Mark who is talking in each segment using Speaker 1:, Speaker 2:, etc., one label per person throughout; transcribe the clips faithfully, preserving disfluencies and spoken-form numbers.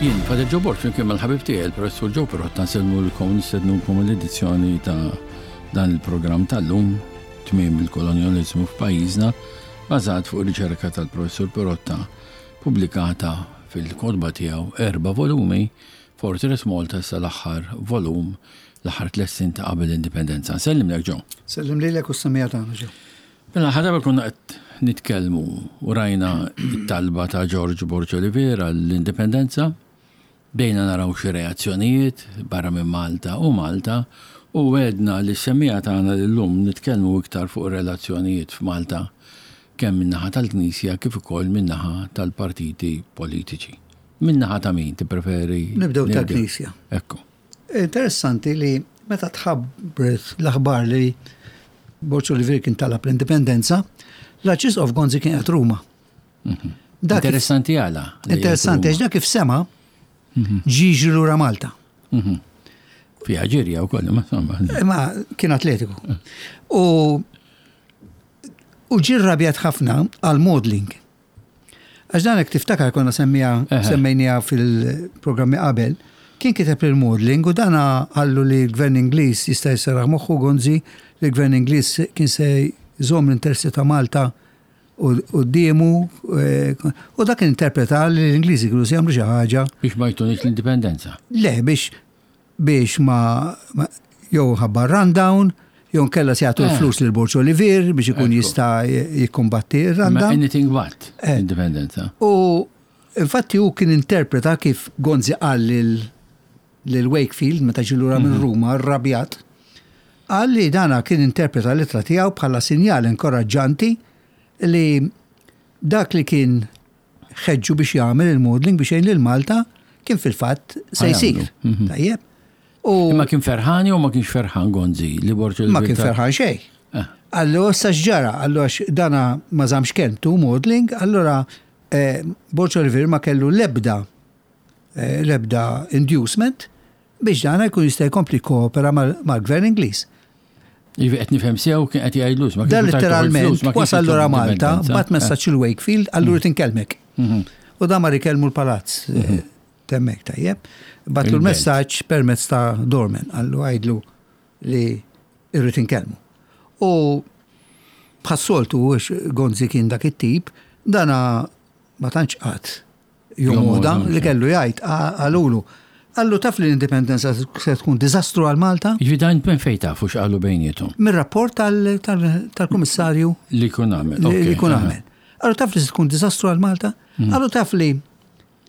Speaker 1: Jien, Father Joe Borg, flimkien mal-ħabib tiegħi, il-Professur Joe Pirotta, nsellmulkom, nistednukom l-edizzjoni ta' dan il-programm tal-lum, Tmiem il-Kolonjaliżmu f'pajjiżna, bażat fuq riċerka tal-Professur Pirotta, pubblikata fil-kotba tiegħu, erba' volumi, Fortress Malta, sa l-aħħar volum, l-aħħar tliet snin ta' qabel l-indipendenza. Sellimlek, Joe.
Speaker 2: Sellim lilek u s-semmiegħa tagħna, Joe.
Speaker 1: Mela, ħadaba konna qed nitkellmu u rajna it-talba ta' George Borg Olivier l-indipendenza, bdejna naraw xi reazzjonijiet barra minn Malta u Malta, u għedna li s-semmiegħa tagħna llum nitkellmu iktar fuq relazzjonijiet f'Malta, kemm min-naħa tal-Knisja kif ukoll min-naħa tal-partiti politiċi. Min-naħa ta' min tippreferi?
Speaker 2: Nibdew tal-Knisja.
Speaker 1: Ekku.
Speaker 2: Interessanti li meta tħabbret l-aħbar li Borg Olivier kien talab l-indipendenza, l-Arċisqof Gonzi kien qed Ruma.
Speaker 1: Mhm.
Speaker 2: Dak kif-
Speaker 1: Interessanti għala li
Speaker 2: Interessanti, għax dak kif sema ġie lura Malta.
Speaker 1: Mhm. Fija ġirja u koll, ma insomma.
Speaker 2: Ma kien atletiku. U u ġie rrabjat ħafna għal Maudling. Għax dan hekk tiftakar konna semmija
Speaker 1: Eħe.
Speaker 2: semmejnija fil-programmi qabel, kien kiteb lil Maudling u dana qallu li l-gvern Ingliż jista' jserraħ moħħu Gonzi, li l-gvern Ingliż kien se jżomm l-interessi ta' Malta quddiemu u dak interpreta li l-Ingliżi kienu se jagħmlu xi ħaġa
Speaker 1: Biex ma jtunix l-indipendenza.
Speaker 2: Le, biex biex ma, ma jew ħabba rundown, jew nkella se jagħtu
Speaker 1: Eh.
Speaker 2: l-flus lil Borg Olivier biex ikun
Speaker 1: Ekku.
Speaker 2: jista' jikkumbatti
Speaker 1: Ma
Speaker 2: r-rundown.
Speaker 1: anything but
Speaker 2: Eh.
Speaker 1: indipendenza.
Speaker 2: U infatti hu kien interpreta kif Gonzi qal lil lil Wakefield meta ġie lura minn Ruma rrabjat. Qal li dana kien interpreta l-ittra tiegħu bħala sinjal inkoraġġanti li dak li kien ħeġġu biex jagħmel il-Maudling biex jgħin lil Malta kien fil-fatt se
Speaker 1: Ħa jagħmlu.
Speaker 2: jsir.
Speaker 1: Mhm.
Speaker 2: Tajjeb. U
Speaker 1: Imma kien ferħan jew ma kienx ferħan Gonzi li Borg
Speaker 2: ma kien ferħan xejn.
Speaker 1: Eh.
Speaker 2: Allu issa x'ġara, allu għax dana ma żamx kelmtu Maudling, allura eh, Borg Olivier ma kellu lebda eh, lebda inducement biex dana jkun jista' jkompli koopera mal- mal-gvern Ingliż.
Speaker 1: Ivi qed nifhem sew kien qed jgħidlus. Ma
Speaker 2: Dan
Speaker 1: kienx tajtu
Speaker 2: literalment
Speaker 1: il-flus, ma kienx
Speaker 2: wasal
Speaker 1: tajtu
Speaker 2: lura Malta,
Speaker 1: l-indipendenza.
Speaker 2: bagħat messaġġ il-Wakefield, allu rrid inkellmek.
Speaker 1: Mhm.
Speaker 2: U da mar ikellmu l-palazz. eh, Temmek tajjeb. Bagħatlu
Speaker 1: Il-belt.
Speaker 2: l-messaġġ permezz ta' doorman, qallu għidlu li irrid inkellmu. U bħas-soltu għax Gonzi kien dak it-tip, dana ma tantx qatt jomoda
Speaker 1: Jomoda,
Speaker 2: li kellu jgħid qalulu. Qallu taf li l-indipendenza se tkun diżastru għal Malta?
Speaker 1: Jiġifieri dan minn fejn tafu x'qalu bejniethom?
Speaker 2: Mir-rapport tal- tal- tal-Kummissarju
Speaker 1: Li kun għamel.
Speaker 2: li
Speaker 1: ok,
Speaker 2: li jkun
Speaker 1: aha.
Speaker 2: għamel. Qallu taf li se tkun diżastru għal Malta? Qallu taf li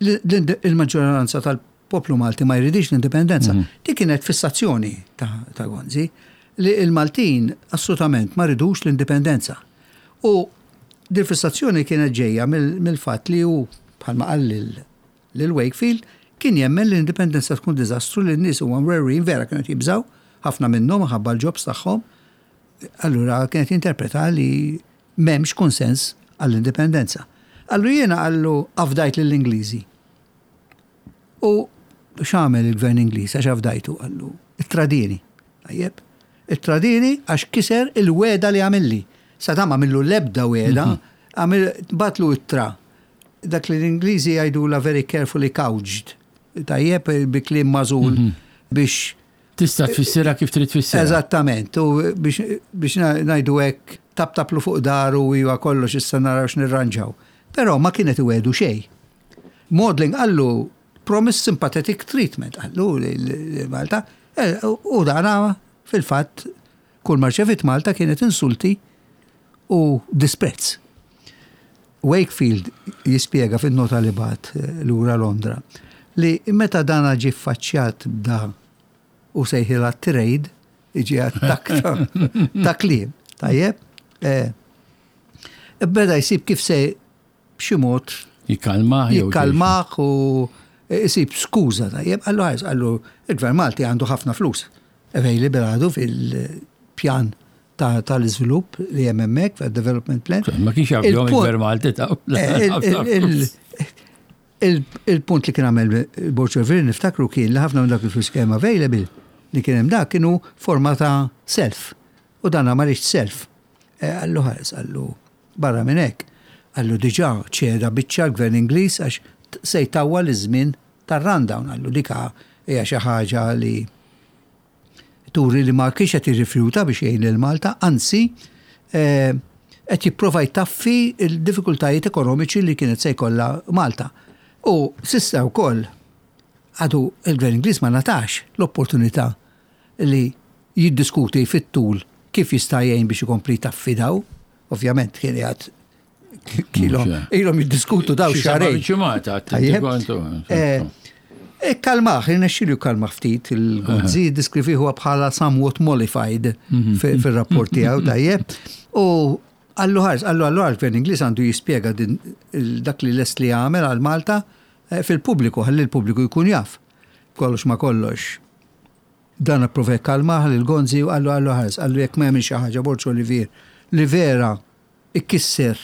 Speaker 2: li l- il-maġġoranza tal-poplu Malti ma jridix l-indipendenza. Dik kienet fissazzjoni ta' ta' Gonzi li il-Maltin assolutament ma ridux l-indipendenza. U dil fissazzjoni kienet ġejja mill- mill-fatt li hu bħalma qal lil- lil Wakefield kien jemmen li l-indipendenza tkun diżastru, li n-nies huma mwerwrin, vera kienet jibżaw ħafna minnhom ħabba l-jobs tagħhom. Allura kienet interpreta li m'hemmx konsens għall-indipendenza. Allu jiena qallu afdajt lill-Ingliżi. U x'għamel il-gvern Ingliż għax afdajtu? Qallu ittradini. Tajjeb. Ittradini għax kiser il-weda li għamilli. Sa ta' ma għamillu l-ebda weda, għamil bagħatlu ittra. Dak li l-Ingliżi jgħidu la very carefully couched. Tajjeb, bi kliem magħżul biex
Speaker 1: Tista' tfissirha kif trid tfissirha.
Speaker 2: Eżattament, u biex, biex ngħidu hekk taptaplu fuq daru u iwa kollox issa naraw x'nirranġaw. Però ma kienet iwedu xejn. Maudling qallu promise sympathetic treatment qallu li Malta eh, u dana fil-fatt kull ma rċevit Malta kienet insulti u disprezz. Wakefield jispjega fin-nota li bagħat eh, lura Londra li meta dana ġie ffaċċjat b'da u sejħilha trade, iġi attak ta' ta' kliem, tajjeb, eh, beda jsib kif se b'xi mod
Speaker 1: Jikkalmah jew
Speaker 2: jikkalmah u jsib skuża, tajjeb, qallu ħares, qallu il-Gvern Malti għandu ħafna flus available għadu fil-pjan ta- tal-iżvilupp li hemm hemmhekk fil-development plan.
Speaker 1: Ma kienx jaf jom
Speaker 2: Il-punt-
Speaker 1: il-Gvern Malti ta'
Speaker 2: Eh, il- il- il- Il-punt li kien għamel Borg Olivier, niftakru, kien li ħafna minn dak il-flus kien available li kien hemm dak kienu forma ta' self. U dan ma riedx self. Eh, Qallu ħares, qallu barra minn hekk. Qallu diġà ċeda biċċa l-gvern Ingliż għax t- se jtawwal iż-żmien tar-rundown. Qallu dika hija xi ħaġa li turi li ma kienx qed jirrifjuta biex jgħin lil Malta, anzi eh, qed jipprova jtaffi il-diffikultajiet ekonomiċi li kienet se jkollha Malta. U s'issa wkoll għadu il-Gvern Ingliż ma ngħatax l-opportunità li jiddiskuti fit-tul kif jista' jgħin biex ikompli jtaffi daw. Ovvjament kien jgħad ilhom ilhom jiddiskutu daw
Speaker 1: Xi seba'
Speaker 2: xahrejn.
Speaker 1: ġimgħat,
Speaker 2: Tajjeb.
Speaker 1: kontu.
Speaker 2: Eh, E kalmaħ, irnexxielu kalmaħ ftit il-Gonzi, deskrivieh bħala somewhat mollified fi- fil-rapport tiegħu, tajjeb. U qallu ħares, qallu qallu għal-Gvern Ingliż għandu jispjega din il- dak li lest li għamel għal Malta eh, fil-pubbliku, ħalli l-pubbliku jkun jaf. Kollox ma kollox. Dan approva kalmaħ lil Gonzi u qallu qallu ħares, qallu jekk ma jagħmel xi ħaġa Borg Olivier li vera ikkisser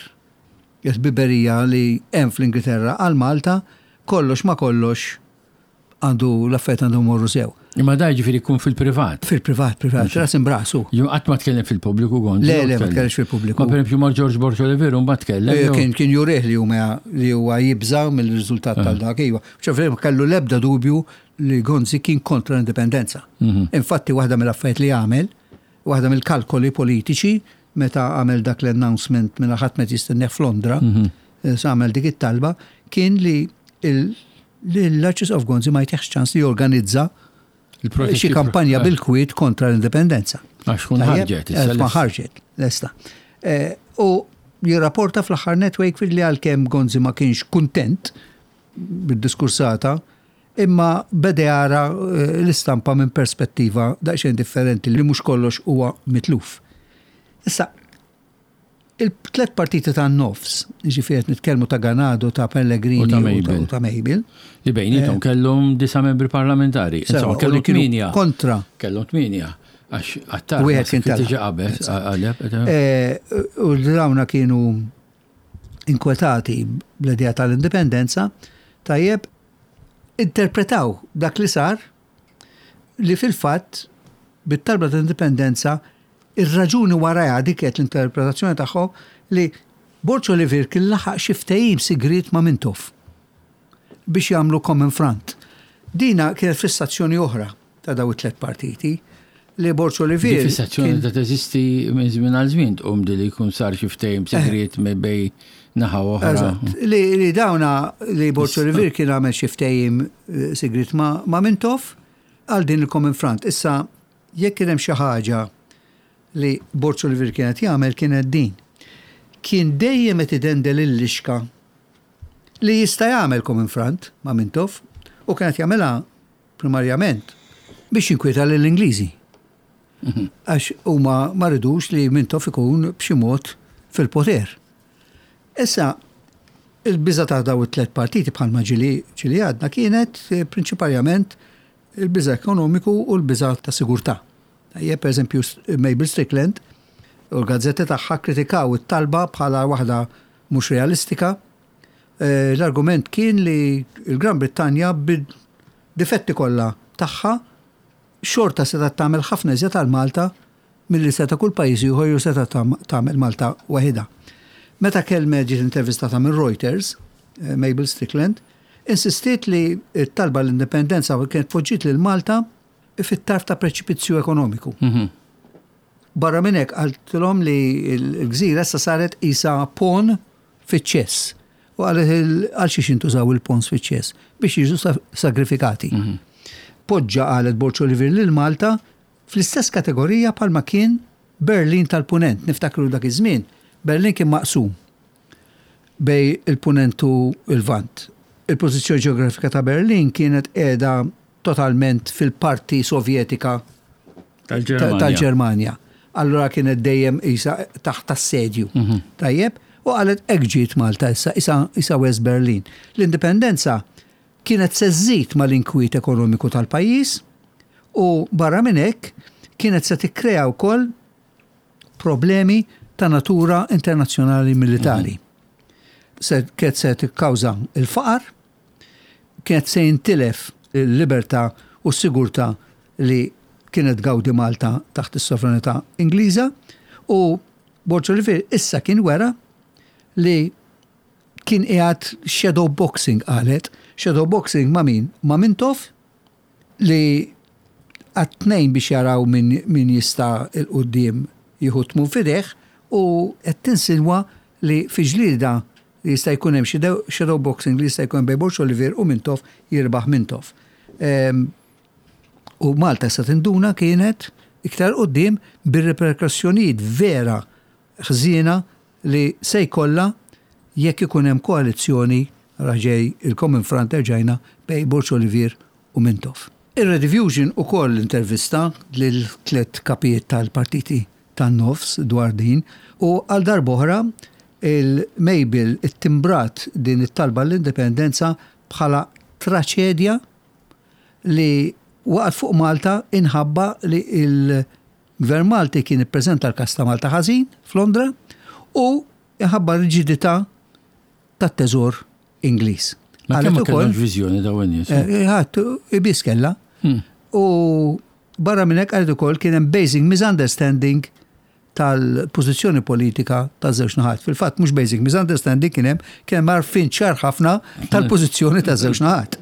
Speaker 2: il-ħbiberija li hemm fl-Ingilterra għal Malta, kollox ma kollox għandu l-affett għandu morru sew.
Speaker 1: Imma da ġifieri jkun fil-privat.
Speaker 2: Fil-privat, privat, ras imbrasu.
Speaker 1: Ġu qatt ma tkellem fil-pubbliku, Gonzi?
Speaker 2: Le, le, ma tkellimx fil-pubbliku.
Speaker 1: Ma pereżempju ma' George Borg Olivier mbagħad tkellem. jew-
Speaker 2: Kien kien jurih li huma li huwa jibża mill-riżultat tal-dak iva. Ċofri ma kellu l-ebda dubju li Gonzi kien kontra l-indipendenza. Infatti waħda mill-affarijiet li għamel, waħda mill-kalkoli politiċi meta għamel dak l-announcement minn ħadd meta jistenneħ f'Londra, eh, sa għamel dik it-talba, kien li il- li l-Arċisqof Gonzi ma jtiħx ċans li jorganizza
Speaker 1: Il-protesti-
Speaker 2: xi kampanja
Speaker 1: eh,
Speaker 2: bil-kwiet kontra l-indipendenza.
Speaker 1: Għax kun
Speaker 2: Tajjeb,
Speaker 1: ħarġet.
Speaker 2: eh,
Speaker 1: issa
Speaker 2: Ma
Speaker 1: lest.
Speaker 2: ħarġet, lesta. Eh, U jirrapporta fl-aħħar net Wakefield li għalkemm Gonzi ma kienx kuntent bid-diskursata, imma beda jara eh, l-istampa minn perspettiva daqsxejn differenti li mhux kollox huwa mitluf. Issa, il-tlet partiti ta' nofs, ġifieri qed nitkellmu ta' Ganado, ta' Pellegrini
Speaker 1: U ta'
Speaker 2: u
Speaker 1: Mabel.
Speaker 2: u ta' Mabel.
Speaker 1: Li bejnietom kellhom disa membri parlamentari.
Speaker 2: Sewa,
Speaker 1: Insomma,
Speaker 2: u li
Speaker 1: kellhom
Speaker 2: kienu
Speaker 1: tminja.
Speaker 2: kontra.
Speaker 1: Kellhom tminja. Għax Attard
Speaker 2: Wieħed kien
Speaker 1: tiġi
Speaker 2: telaq.
Speaker 1: qabel, qaleb.
Speaker 2: Eh, U dawna kienu inkwetati bl-idea tal-indipendenza, tajjeb, interpretaw dak li sar li fil-fatt bit-talba tal-indipendenza ir-raġuni warajha dik kienet l-interpretazzjoni tagħhom li Borg Olivier kien laħaq xi ftehim sigriet ma' Mintoff biex jagħmlu common front. Dina kienet fissazzjoni oħra ta' daw it-tlet partiti li Borg
Speaker 1: Di
Speaker 2: Olivier
Speaker 1: fissazzjoni
Speaker 2: kien-
Speaker 1: ta' teżisti minn żmien għal żmien tqum di li jkun sar xi ftehim sigriet minn bej naħa oħra.
Speaker 2: Eżatt. Li, li dawna li Borg Olivier kien għamel xi ftehim eh, sigriet ma, ma Mintoff għal din il-Common Front. Issa, jekk kien hemm xi ħaġa li Borg Olivier kienet jagħmel kienet din. Kien dejjem qed idendel il-lixka li jista' jagħmel Common Front ma' Mintoff u kienet jagħmilha primarjament biex jinkwieta lill-Ingliżi. Għax huma ma ridux li Mintoff ikun b'xi mod fil-poter. Issa, il-biża ta' daw it-tlet partiti bħalma ġili ġili għadna kienet eh, prinċipalment il-biża ekonomiku u l-biża ta' sigurtà. Tajjeb, per eżempju, Mabel Strickland u l-gazzetti tagħha kritikaw it-talba bħala waħda mhux realistika. Eh, L-argument kien li l-Gran Brittanja bid-difetti kollha tagħha xorta seta' tagħmel ħafna iżjed għal Malta milli seta' kull pajjiż ieħor jew seta' tam- tagħmel Malta waħedha. Meta kelmet ġiet intervistata minn Reuters, eh, Mabel Strickland, insistiet li t-talba l-indipendenza kienet poġġiet lil Malta fit-tarf ta' preċipizzju ekonomiku.
Speaker 1: Mhm.
Speaker 2: Barra minn hekk qaltilhom li l-gżira issa saret isa pawn fiċ-ċess. U qalet il- għal xiex intużaw il-pawns fiċ-ċess biex jiġu sa- sagrifikati. Poġġa qalet Borg Olivier lil Malta fl-istess kategorija palma kien Berlin tal-Punent. Niftakru dak iż-żmien, Berlin kien maqsum bej il-Punent u il-Vant. Il-pożizzjoni ġeografika ta' Berlin kienet qiegħda totalment fil-parti sovjetika
Speaker 1: Tal-Ġermanja.
Speaker 2: tal-Ġermanja. Allura kienet dejjem isa taħt assedju. Tajjeb, u qalet hekk ġiet Malta issa, isa, isa West Berlin. L-indipendenza kienet se żżid mal-inkwiet ekonomiku tal-pajjiż u barra minn hekk kienet se tikkrea wkoll problemi ta' natura internazzjonali militari. Se kienet se tikkawża il-faqar, kienet se jintilef il-libertà u s-sigurtà li kienet gawdi Malta taħt is-sovranità Ingliża u Borg Olivier issa kien wera li kien qiegħed shadow boxing qalet Shadow boxing ma' min? Ma' Mintoff li għat-tnejn biex jaraw min, min jista' 'l quddiem jieħu tmun f'idejh u qed tinsinwa li fi ġlida li jista' jkun hemm shadow boxing li jista' jkun bejn Borg Olivier u Mintoff, jirbaħ Mintoff. Em, U Malta sa tinduna kienet iktar quddiem bir-reperkussjonijiet vera ħżiena li se jkollha jekk ikun hemm koalizzjoni, raġej il-Common Front erġajna, bejn Borg Olivier u Mintoff. Ir-Rediffusion ukoll intervista lil tliet kapijiet tal-partiti tan-nofs dwar din u għal darb'oħra il-Mabel ittimbrat din it-talba l-indipendenza bħala traċedja li waqgħet fuq Malta inħabba li il-Gvern Malti kien ippreżenta l-kas ta' Malta ħażin f'Londra u inħabba riġidità tat-teżor Ingliż.
Speaker 1: Ma
Speaker 2: Qalet
Speaker 1: kemm ma
Speaker 2: ukoll-
Speaker 1: kellhomx viżjoni dawn in-nies.
Speaker 2: Eh, ħadd ibis kella.
Speaker 1: Hmm.
Speaker 2: U barra minn hekk qalet ukoll kien hemm basic misunderstanding tal-pożizzjoni politika taż-żewġ naħat. Fil-fatt mhux basic misunderstanding kien hemm, kien hemm għarfien ċar ħafna tal-pożizzjoni taż-żewġ naħat.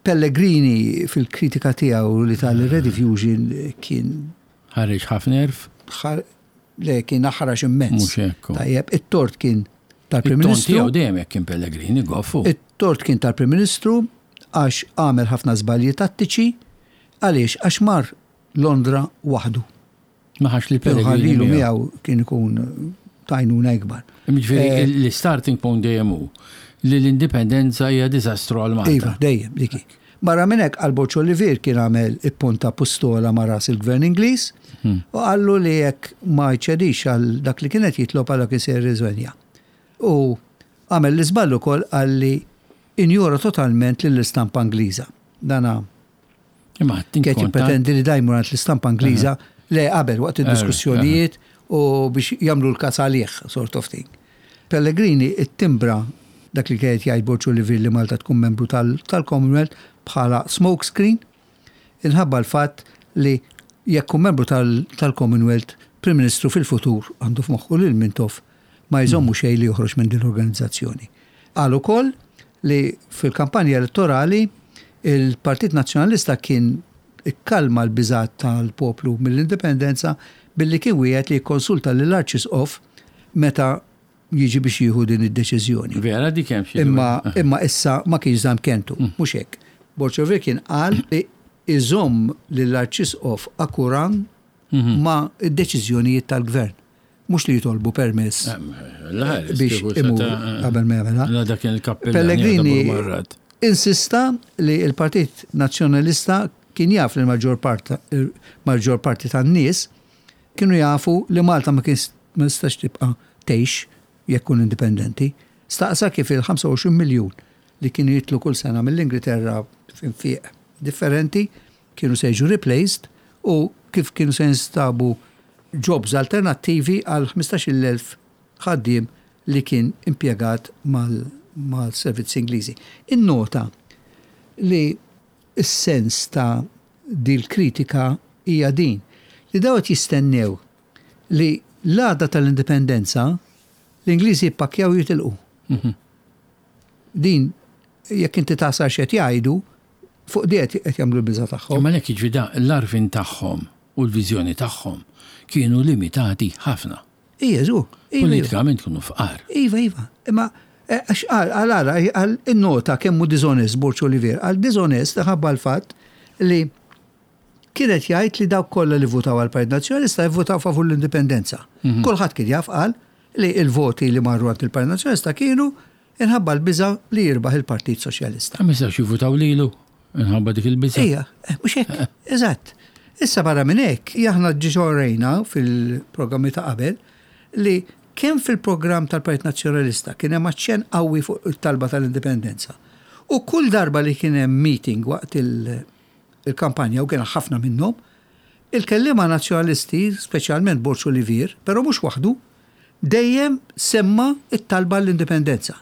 Speaker 2: Pellegrini fil-kritika tiegħu li tal-Rediffusion kien
Speaker 1: Ħareġ ħafna erf.
Speaker 2: ħar- le kien aħrax immens.
Speaker 1: Mhux hekk.
Speaker 2: Tajjeb, it-tort kien tal-Prim
Speaker 1: Il-ton
Speaker 2: Ministru.
Speaker 1: tiegħu dejjem hekk kien Pellegrini goffu.
Speaker 2: It-tort kien tal-Prim Ministru għax għamel ħafna żbalji tattiċi. Għaliex? Għax mar Londra waħdu.
Speaker 1: Ma ħax li Pellegrini
Speaker 2: Ħallilu
Speaker 1: miegħu.
Speaker 2: miegħu kien ikun tajnuna ikbar.
Speaker 1: Ġifieri
Speaker 2: Eh,
Speaker 1: l-starting point dejjem hu li l-indipendenza hija diżastru għal Malta.
Speaker 2: Iva, dejjem, diki. Barra minn hekk għal Borg Olivier kien għamel ipponta pistola ma' ras il-gvern Ingliż
Speaker 1: Hmm.
Speaker 2: u qallu li jekk ma jċedix għal dak li kienet jitlob għal kien se jirriżenja. U għamel l-iżball ukoll għalli injora totalment lill-istampa Ingliża. Dana
Speaker 1: Imma
Speaker 2: kien
Speaker 1: tinkonta.
Speaker 2: jippretendi li dajmu għand l-istampa Ingliża le qabel waqt id-diskussjonijiet u biex jagħmlu l-kas għalih, sort of thing. Pellegrini it-timbra dak li kienet jgħid Borg Olivier li Malta tkun membru tal- tal-Commonwealth bħala smoke screen inħabba l-fatt li jekk kun membru tal- tal-Commonwealth, Prim Ministru fil-futur għandu f'moħħu lil Mintoff ma jżommu xejn li joħroġ minn din l-organizzazzjoni. Qal ukoll li fil-kampanja elettorali il-Partit Nazzjonalista kien ikkalma l-biżat tal-poplu mill-indipendenza billi kien wieħed li jikkonsulta lill-Arċisqof meta jiġi biex jieħu din id-deċiżjoni.
Speaker 1: Vera dik hemm xi.
Speaker 2: Imma, imma issa ma kienx żamm kelmtu, mhux hekk. Borg Olivier kien qal li iżomm lill-Arċisqof akkurat ma' id-deċiżjonijiet tal-gvern. Mhux li jitolbu permess biex imur qabel ma jagħmilha.
Speaker 1: La dak kien il-kappellan.
Speaker 2: Pellegrini
Speaker 1: Marrat.
Speaker 2: insista li il-Partit Nazzjonalista kien jaf li l-maġġor part- il-maġġor parti tan-nies kienu jafu li Malta ma kien ma nistax tibqa' tgħix jekk kun indipendenti. Staqsa kif il-ħamsa u għoxrin miljun li kienu jitlu kull sena mill-Ingilterra f'infiq differenti kienu se jiġu replaced u kif kienu se jinstabu jobs alternattivi għal ħmistax-il elf ħaddiem li kien impjegat mal- mal-servizzi Ingliżi. Innota li s-sens ta' dil kritika hija din li dawet jistennew li l-għada tal-indipendenza l-Ingliżi jippakjaw jitilqu. Din, jekk inti tasar x'qed jgħidu, fuq di qed jagħmlu l-biża' tagħhom.
Speaker 1: Imma lek jiġri da l-għarfien tagħhom u l-viżjoni tagħhom kienu limitati ħafna.
Speaker 2: Ija, żu. Iva, iva.
Speaker 1: Politikament kienu fqar.
Speaker 2: Iva, iva. Imma eh, għax għal għal għal għal innota kemm hu dishonest Borg Olivier, għal dishonest ħabba l-fatt li kienet jgħid li dawk kollha li votaw għal Partit Nazzjonalista jivvotaw favur l-indipendenza. Kulħadd kien jaf qal li il-voti li marru għand il-Partit Nazzjonalista kienu inħabba l-biża li jirbaħ il-Partit Soċjalista.
Speaker 1: Ma jistgħux jivvutaw lilu inħabba dik il-biża.
Speaker 2: Ija, eh, mhux hekk, eżatt. Issa barra minn hekk, aħna ġa rajna fil-programmi ta' qabel li kemm fil-programm tal-Partit Nazzjonalista kien hemm aċċenn qawwi fuq it-talba tal-indipendenza. U kull darba li kien hemm meeting waqt il- il-kampanja, u kien ħafna minnhom, il-kellima nazzjonalisti, speċjalment Borg Olivier, però mhux waħdu, dejjem semma it-talba l-indipendenza.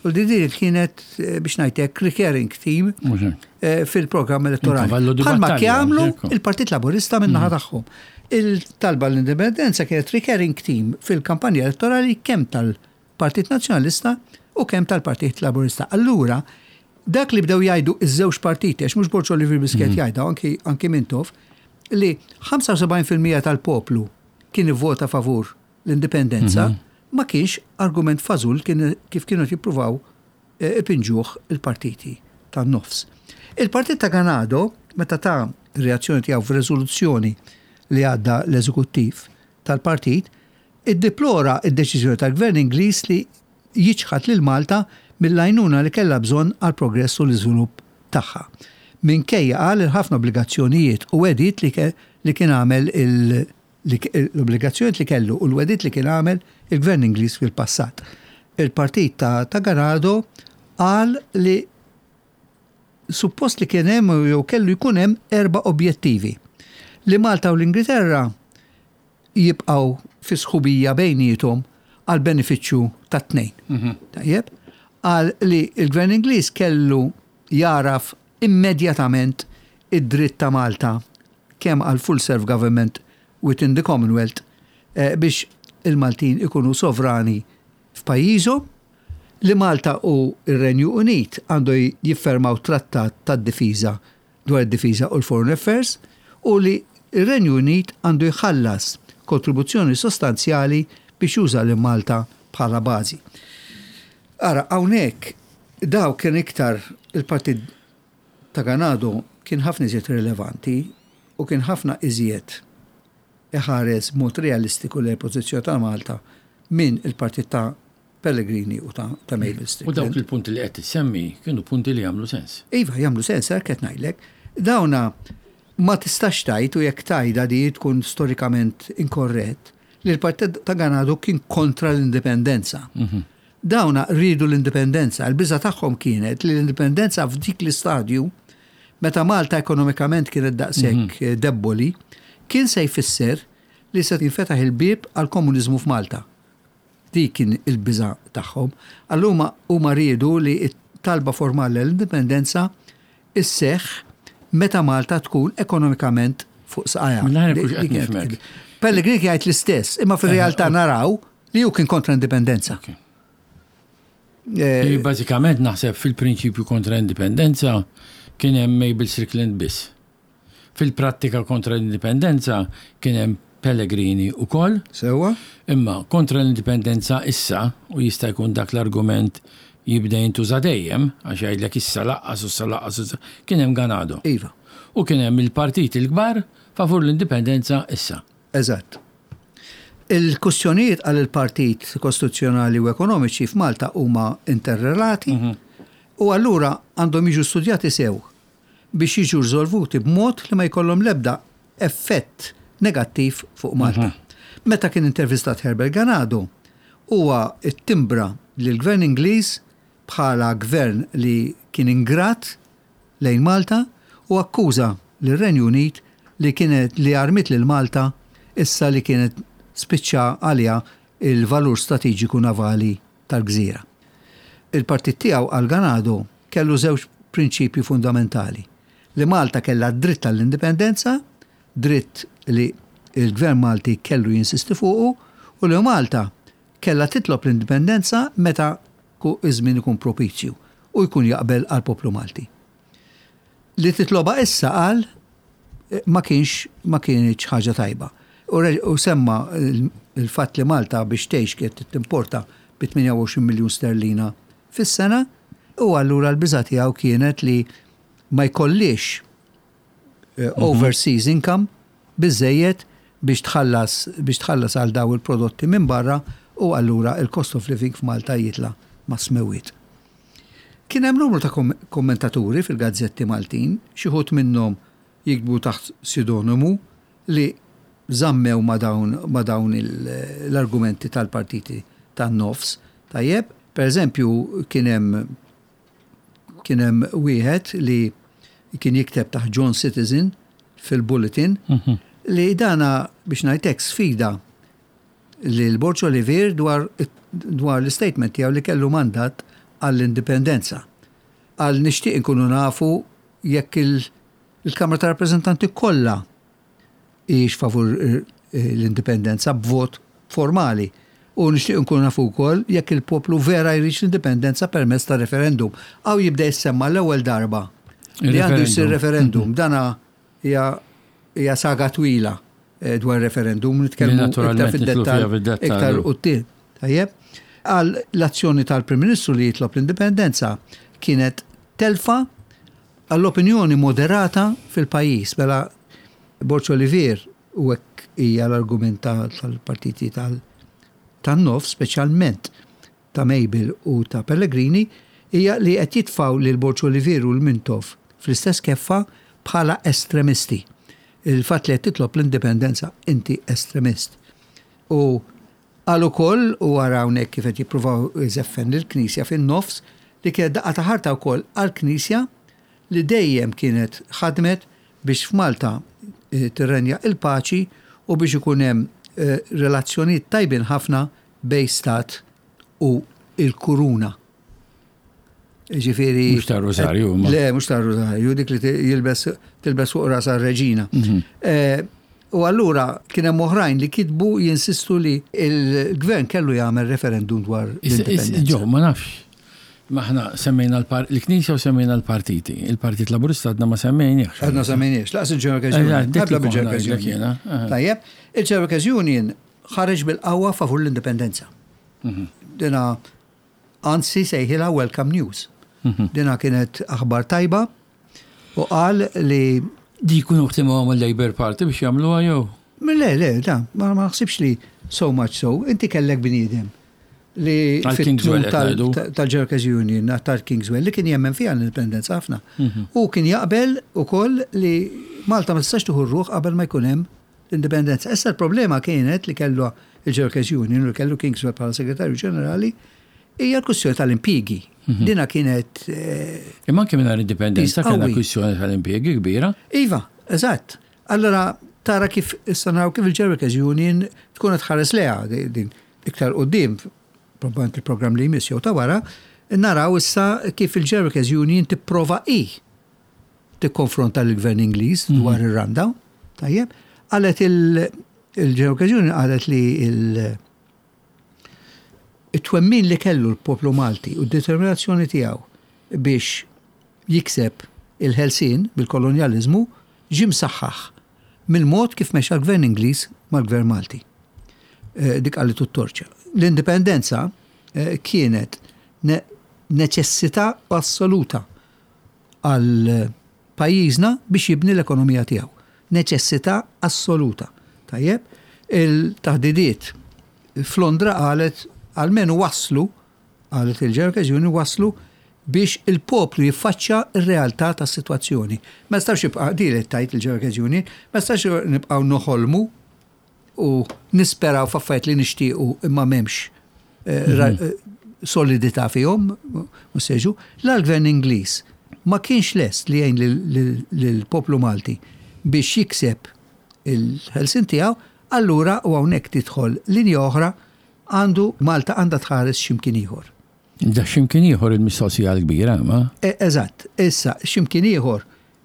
Speaker 2: U di din kienet, eh, biex ngħidlek, recurring theme
Speaker 1: Mhux hekk.
Speaker 2: eh, fil-programm elettorali.
Speaker 1: Il-kavallu di
Speaker 2: Bħalma
Speaker 1: battalja,
Speaker 2: jagħmlu
Speaker 1: ekku.
Speaker 2: il-Partit Laburista minn naħa tagħhom. Il-talba l-indipendenza kienet recurring theme fil-kampanja elettorali kemm tal-Partit Nazzjonalista u kemm tal-Partit Laburista. Allura, Dak li bdew jgħidu iż-żewġ partiti, għax mhux Borg Olivier biss kien jgħidha, anki, anki Mintoff, li ħamsa u sebgħin fil-mija tal-poplu kien ivvota favur l-indipendenza, ma kienx argument fażul kien kif kienu jippruvaw eh, ipinġuh il-partiti tan-nofs. Il-partit ta' Ganado, meta ta reazzjoni tiegħu f'reżoluzzjoni li għadda l-eżekuttiv tal-partit, iddeplora id-deċiżjoni tal-Gvern Ingliż li jiċħad lil Malta mill-għajnuna li kellha bżonn għal progress u l-iżvilupp tagħha. Minkejja, qal, il-ħafna obbligazzjonijiet u wegħdiet li, ke, li kien għamel il- li- l-obbligazzjonijiet li kellu u l-wegħdiet li kien għamel il-Gvern Ingliż fil-passat. Il-partit ta', ta Ganado qal li suppost li kien hemm jew kellu jkun hemm erba' objettivi. Li Malta u l-Ingilterra jibqgħu fi sħubija bejniethom għal benefiċċju tat-tnejn. Tajjeb? Qal li il-Gvern Ingliż kellu jaraf immedjatament id-dritt ta' Malta kemm għal full self government within the Commonwealth eh, biex il-Maltin ikunu sovrani f'pajjiżhom, li Malta u ir-Renju Unit għandu jiffermaw trattat tad-difiża dwar id-difiża u l-Foreign Affairs u li ir-Renju Unit għandu jħallas kontribuzzjoni sostanzjali biex juża lil Malta bħala bażi. Ara, hawnhekk daw kien iktar il-partit ta' Ganado kien ħafna iżjed rilevanti u kien ħafna iżjed iħares mod realistiku lejn pożizzjoni ta' Malta minn il-partit ta' Pellegrini u ta', ta' Mabel
Speaker 1: U dawk
Speaker 2: Strickland.
Speaker 1: Il-punti li qed tissemmi kienu punti li jagħmlu sens.
Speaker 2: Iva, jagħmlu sens, qed ngħidlek. Dawna ma tistax tgħid, u jekk tgħidha di tkun storikament inkorrett, li l-partit ta' Ganado kien kontra l-indipendenza. Dawna rridu l-indipendenza. Il-biża tagħhom kienet li l-indipendenza f'dik l-istadju, meta Malta ekonomikament kienet daqshekk mm debboli, kien se jfisser li se jinfetaħ il-bib għal komuniżmu f'Malta. Dik kien il-biża tagħhom. Allura huma riedu li t-talba formali l-indipendenza isseħ meta Malta tkun ekonomikament fuq saqajha.
Speaker 1: Mela
Speaker 2: Di-
Speaker 1: kux qed
Speaker 2: di kienet-
Speaker 1: nifhmek.
Speaker 2: Pellegrini jgħid l-istess, imma fir-realtà naraw li hu kien kontra indipendenza.
Speaker 1: Ok.
Speaker 2: Eh,
Speaker 1: Li bażikament naħseb fil-prinċipju kontra indipendenza kien hemm Mabel Strickland biss. Fil-prattika kontra l-indipendenza kien hemm Pellegrini ukoll,
Speaker 2: Sewwa?
Speaker 1: Imma kontra l-indipendenza issa, u jista' jkun dak l-argument jibda jintuża dejjem, għax jgħidlek issa laqqas u issa laqqas, u issa- kien hemm Ganado.
Speaker 2: Iva,
Speaker 1: U kien hemm il-partiti l-kbar favur l-indipendenza issa.
Speaker 2: Eżatt. Il-kustjonijiet għal il-partit kostituzzjonali u ekonomiċi f'Malta huma interrelati u allura għandhom jiġu studjati sew biex jiġu riżolvuti b'mod li ma jkollhom l-ebda effett negattiv fuq Malta. Meta kien intervistat Herbert Ganado, huwa ittimbra li l-gvern Ingliż bħala gvern li kien ingrat lejn Malta u akkuża lir-Renju Unit li kienet li armit lil Malta issa li kienet spiċċa għalija il-valur strateġiku navali tal-gżira. Il-partit tiegħu, għal Ganado, kellu żewġ prinċipji fundamentali. Li Malta kellha dritt tal-indipendenza, dritt li il-gvern Malti kellu jinsisti fuqu, u li Malta kellha titlob l-indipendenza meta ku iż-żmien ikun propizju u jkun jaqbel għal poplu Malti. Li titloba issa, qal, eh, ma kienx ma kienx ħaġa tajba. U re- U semma il- il-fatt li Malta biex tgħix kienet timporta bi tmienja u għoxrin miljun sterlina fis-sena u allura l-biża tiegħu kienet li ma jkollix eh, overseas income biżejjed biex tħallas biex tħallas għal daw il-prodotti minn barra u allura il-cost of living f'Malta jitla ma' smewiet. Kien hemm numru ta' kom kommentaturi fil-gazzetti Maltin, xi wħud minnhom jiktbu taħt pseudonimu, li żammew ma' dawn, ma dawn il- l-argumenti tal-partiti tan-nofs. Tajjeb, per eżempju, kien hemm kien hemm wieħed li kien jikteb taħt John Citizen fil-Bulletin li dana, biex ngħidlek, sfida li l-Borg Olivier dwar, dwar l-statement tiegħu li kellu mandat għall-indipendenza. Qal, nixtieq inkunu nafu jekk il- il-Kamra ta' Rappreżentanti kollha hijiex favur eh, l-indipendenza b'vot formali. U nixtieq nkun nafu wkoll jekk il-poplu vera jridx l-indipendenza permezz ta' referendum. Hawn jibda jissemma l-ewwel darba li għandu jsir referendum. Dana hija hija saga twila eh, dwar referendum, nitkellmu iktar fid-dettall iktar quddiem. Tajjeb. Għal l-azzjoni tal-Prim Ministru li jitlob l-indipendenza kienet telfa għall-opinjoni moderata fil-pajjiż. Mela Borg Olivier, u hekk hija l-argument tal-partiti tal- tan-nofs, speċjalment ta' Mabel u ta' Pellegrini, hija li qed jitfaw lil Borg Olivier u l-Mintoff fl-istess keffa bħala estremisti. Il-fatt li qed titlob l-indipendenza, inti estremist. U għal ukoll, u għara hawnhekk kif qed jippruvaw iżeffen lill-Knisja fin-nofs, li kienet daqqa ta' ħarta wkoll għall-Knisja li dejjem kienet ħadmet biex f'Malta eh, tirrenja il-paċi u biex ikun hemm eh, relazzjonijiet tajbin ħafna bejn stat u il-kuruna. Ġifieri.
Speaker 1: Mhux ta' Rosario.
Speaker 2: Ma. Le, mhux ta' Rosario, dik li jilbes tilbes fuq rasa r-reġina. Mhm. Eh, u allura kien hemm oħrajn li kitbu jinsistu li il-gvern kellu jagħmel referendum dwar l-indipendenza.
Speaker 1: Ġo, ma nafx. Maħna semmejna l-Knisja u semmejna l-partiti. Il-Partit Laburista għadna ma semmejniex.
Speaker 2: Għadna semmejniex, lanqas il-General Union. Tajjeb, il-General Union ħareġ bil-qawwa favur l-indipendenza. Mhm. Dina anzi sejħilha welcome news. Mhm. Dina kienet aħbar tajba u qal li
Speaker 1: Di jkunu ħtimu il-Labour Party biex jagħmluha jew?
Speaker 2: Le, le, da, ma naħsibx li so much so. Inti kellek bniedem li
Speaker 1: fit-tmun
Speaker 2: tal-Workers Union, tal-Kingswell, li kien jemmen fiha l-indipendenza ħafna. Mhm. U kien jaqbel ukoll li Malta ma tistax tieħu ruħ qabel ma jkun hemm l-indipendenza. Issa l-problema kienet li kellu il-Workers Union u li kellu Kingswell bħala segretarju ġenerali hija l-kwistjoni tal-impjiegi. Mhm. Dina kienet.
Speaker 1: Eh, Imma anke mingħajr indipendenza kellna kwistjoni tal-impjiegi kbira.
Speaker 2: Iva, eżatt. Allora tara kif issa naraw kif il-Workers Union tkun qed tħares leha din iktar quddiem, probabbilment il-programm li jmiss jew ta' wara, naraw issa kif il-Workers Union tipprova i tikkonfronta l-gvern Ingliż mhm. dwar ir-rundown. Tajjeb, qalet il-Workers Union, qalet li il- it-twemmin li kellu l-poplu Malti u d-determinazzjoni tiegħu biex jikseb il-ħelsin bil-kolonjalizmu ġie msaħħaħ mill-mod kif mexa l-gvern Ingliż mal-gvern Malti. Eh, dik għalli t-torċa. L-indipendenza eh, kienet neċessità assoluta għal pajjiżna biex jibni l-ekonomija tiegħu. Neċessità assoluta. Tajjeb, il-taħdidiet f'Londra, qalet, almenu waslu, qalet il-Workers Union, waslu biex il-poplu jiffaċċja ir-realtà tas-sitwazzjoni. Ma nistax jibqa' di li tajt il-Workers Union, ma nistax nibqgħu noħolmu u nisperaw f'affarijiet li nixtiequ imma m'hemmx eh, mhm. eh, solidità fihom, mhux seġu. L-gvern Ingliż ma kienx lest li jgħin lill-poplu Malti biex jikseb il-ħelsin tiegħu, allura u hawnhekk tidħol linja oħra, għandu Malta għandha tħares x'imkien ieħor.
Speaker 1: Da x'imkien ieħor il-mistoqsija l-kbira, ma?
Speaker 2: E, eżatt, issa x'imkien ieħor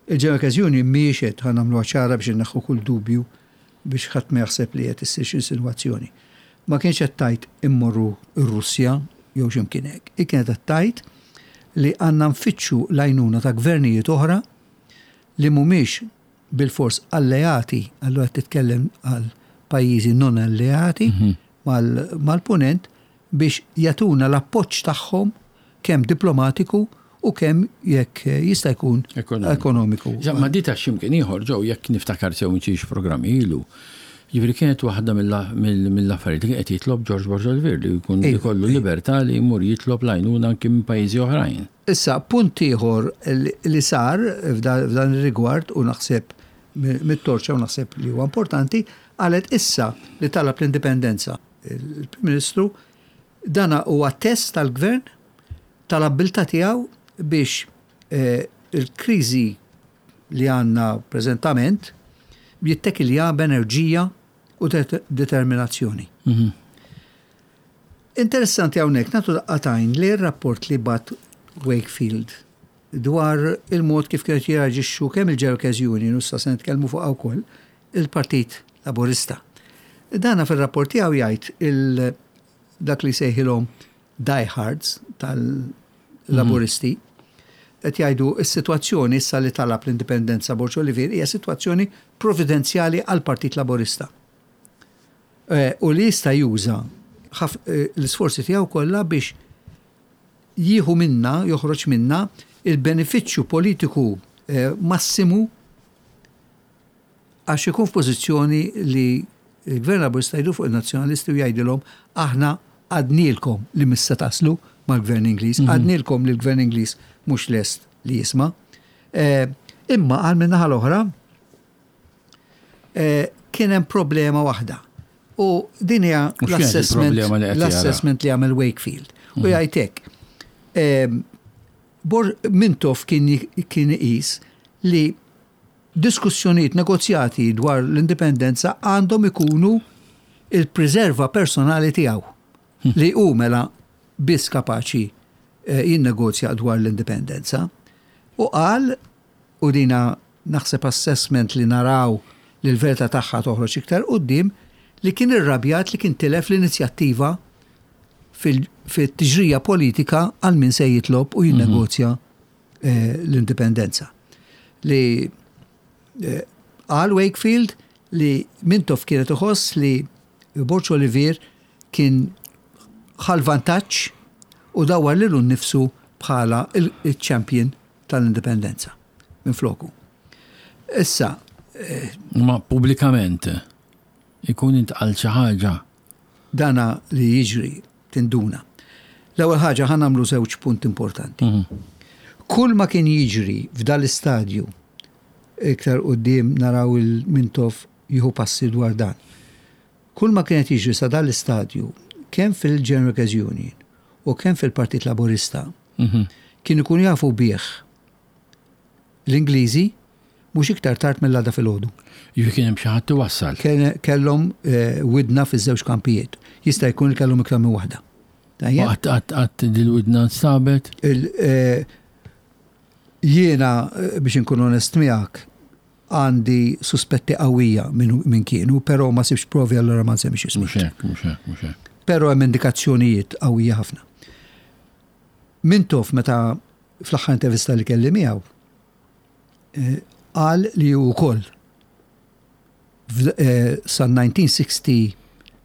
Speaker 2: il-Workers Union mhijiex qed, ħa nagħmluha ċara biex inneħħu kull dubju, biex ħadd ma jaħseb li qed issir xi insinwazzjoni. Ma kienx qed tgħid immorru r-Russja jew x'imkien hekk. I kienet qed tgħid li għandna nfittxu l-għajnuna ta' gvernijiet oħra li mhumiex bil-fors alleati, allura titkellem għal pajjiżi non alleati mhm. mal-punent biex jagħtuna l-appoġġ tagħhom kemm diplomatiku u kemm jekk jista' jkun ekonomiku.
Speaker 1: Ma di ta' x'imkien ieħor ġew, jekk niftakar sew minn programmi ilu. Ġifieri kienet waħda mill-affarijiet li qed jitlob George Borg Olivier, li jkun jkollu libertà li jmur jitlob l-għajnuna anke minn pajjiżi oħrajn.
Speaker 2: Issa, punt ieħor li sar f'dan ir-rigward u naħseb mit-torċa u naħseb li huwa importanti, qalet issa li talab l-indipendenza il-Prim Ministru, dana huwa test tal-gvern tal-abbiltà tiegħu biex eh, il-kriżi li għandna preżentament jittekilja b'enerġija u determinazzjoni. Mhm. Interessanti hawnhekk nagħtu daqqa t'għajn li r-rapport li bagħat Wakefield dwar il-mod kif kienet jirreaġixxu kemm il-Workers Union u issa se nitkellmu fuq wkoll il-Partit Laburista. Dana fil-rapport tiegħu jgħid Dak li sejħilhom diehards tal-Laburisti, qed jgħidu s-sitwazzjoni issa li talab l-indipendenza Borg Olivier hija sitwazzjoni providenzjali għal Partit Laburista. Eh, U li jista' juża ħaf- eh, l-isforzi tiegħu kollha biex jieħu minna, joħroġ minna il-benefiċċju politiku eh, massimu għax ikun f'pożizzjoni li il-Gvern Laburista jdur fuq il-Nazzjonalisti u jgħidilhom: "Aħna għednielkom li mhux se taslu mal-Gvern Ingliż, għednielkom li l-Gvern Ingliż mhux lest li jisma'." Eh, Imma għal min-naħa l-oħra eh, kien hemm problema waħda. U din hija
Speaker 1: U x'kienet
Speaker 2: l-assessment
Speaker 1: il-problema li qed jara?
Speaker 2: L-assessment li għamel Wakefield. U jgħid hekk. eh, Bor Mintoff kien kien iqis li diskussjonijiet, negozjati dwar l-indipendenza għandhom ikunu il-preserva personali tiegħu li hu mela biss kapaċi eh, jinnegozja dwar l-indipendenza. U qal, u dina naħseb assessment li naraw li l-verità tagħha toħroġ iktar quddiem, li kien irrabjat li kien tilef l-inizjattiva fil-tiġrija politika għal min se jitlob u jinnegozja eh, l-indipendenza. Li eh, qal Wakefield li Mintoff kienet iħoss li Borg Olivier kien ħa l-vantaġġ u dawar lilu nnifsu bħala il-champion tal-indipendenza minn floku. Issa,
Speaker 1: Ma pubblikament ikun intqal xi ħaġa?
Speaker 2: Dana li jiġri tinduna. L-ewwel ħaġa, ħa nagħmlu żewġ punt importanti. Kull ma kien jiġri f'dal-istadju, iktar quddiem naraw il-Mintoff jieħu passi dwar dan. Kull ma kienet jiġri sa dal-istadju, kemm fil-General Workers Union u kemm fil-Partit Laburista, kien ikun jafu bih l-Ingliżi mhux iktar tard mill-għada filgħodu.
Speaker 1: Jiġifieri kien hemm xi ħadd iwassal.
Speaker 2: Kien- Kellhom eh, widna fiż-żewġ kampijiet. Jista' jkun li kellhom iktar minn waħda. Tajjeb?
Speaker 1: Qatt qatt qatt dil-widna nstabet?
Speaker 2: Il- eh, Jiena eh, biex inkun onest miegħek, għandi suspetti qawwija minn min kienu, però ma sibx provi, allora ma nsemmix ismi.
Speaker 1: Mhux hekk, mhux hekk, mhux hekk.
Speaker 2: Però hemm indikazzjonijiet qawwija ħafna. Mintoff, meta fl-aħħar intervista li kelli miegħu, eh, qal li hu wkoll f'd- eh, sa elf disa' mija u sittin,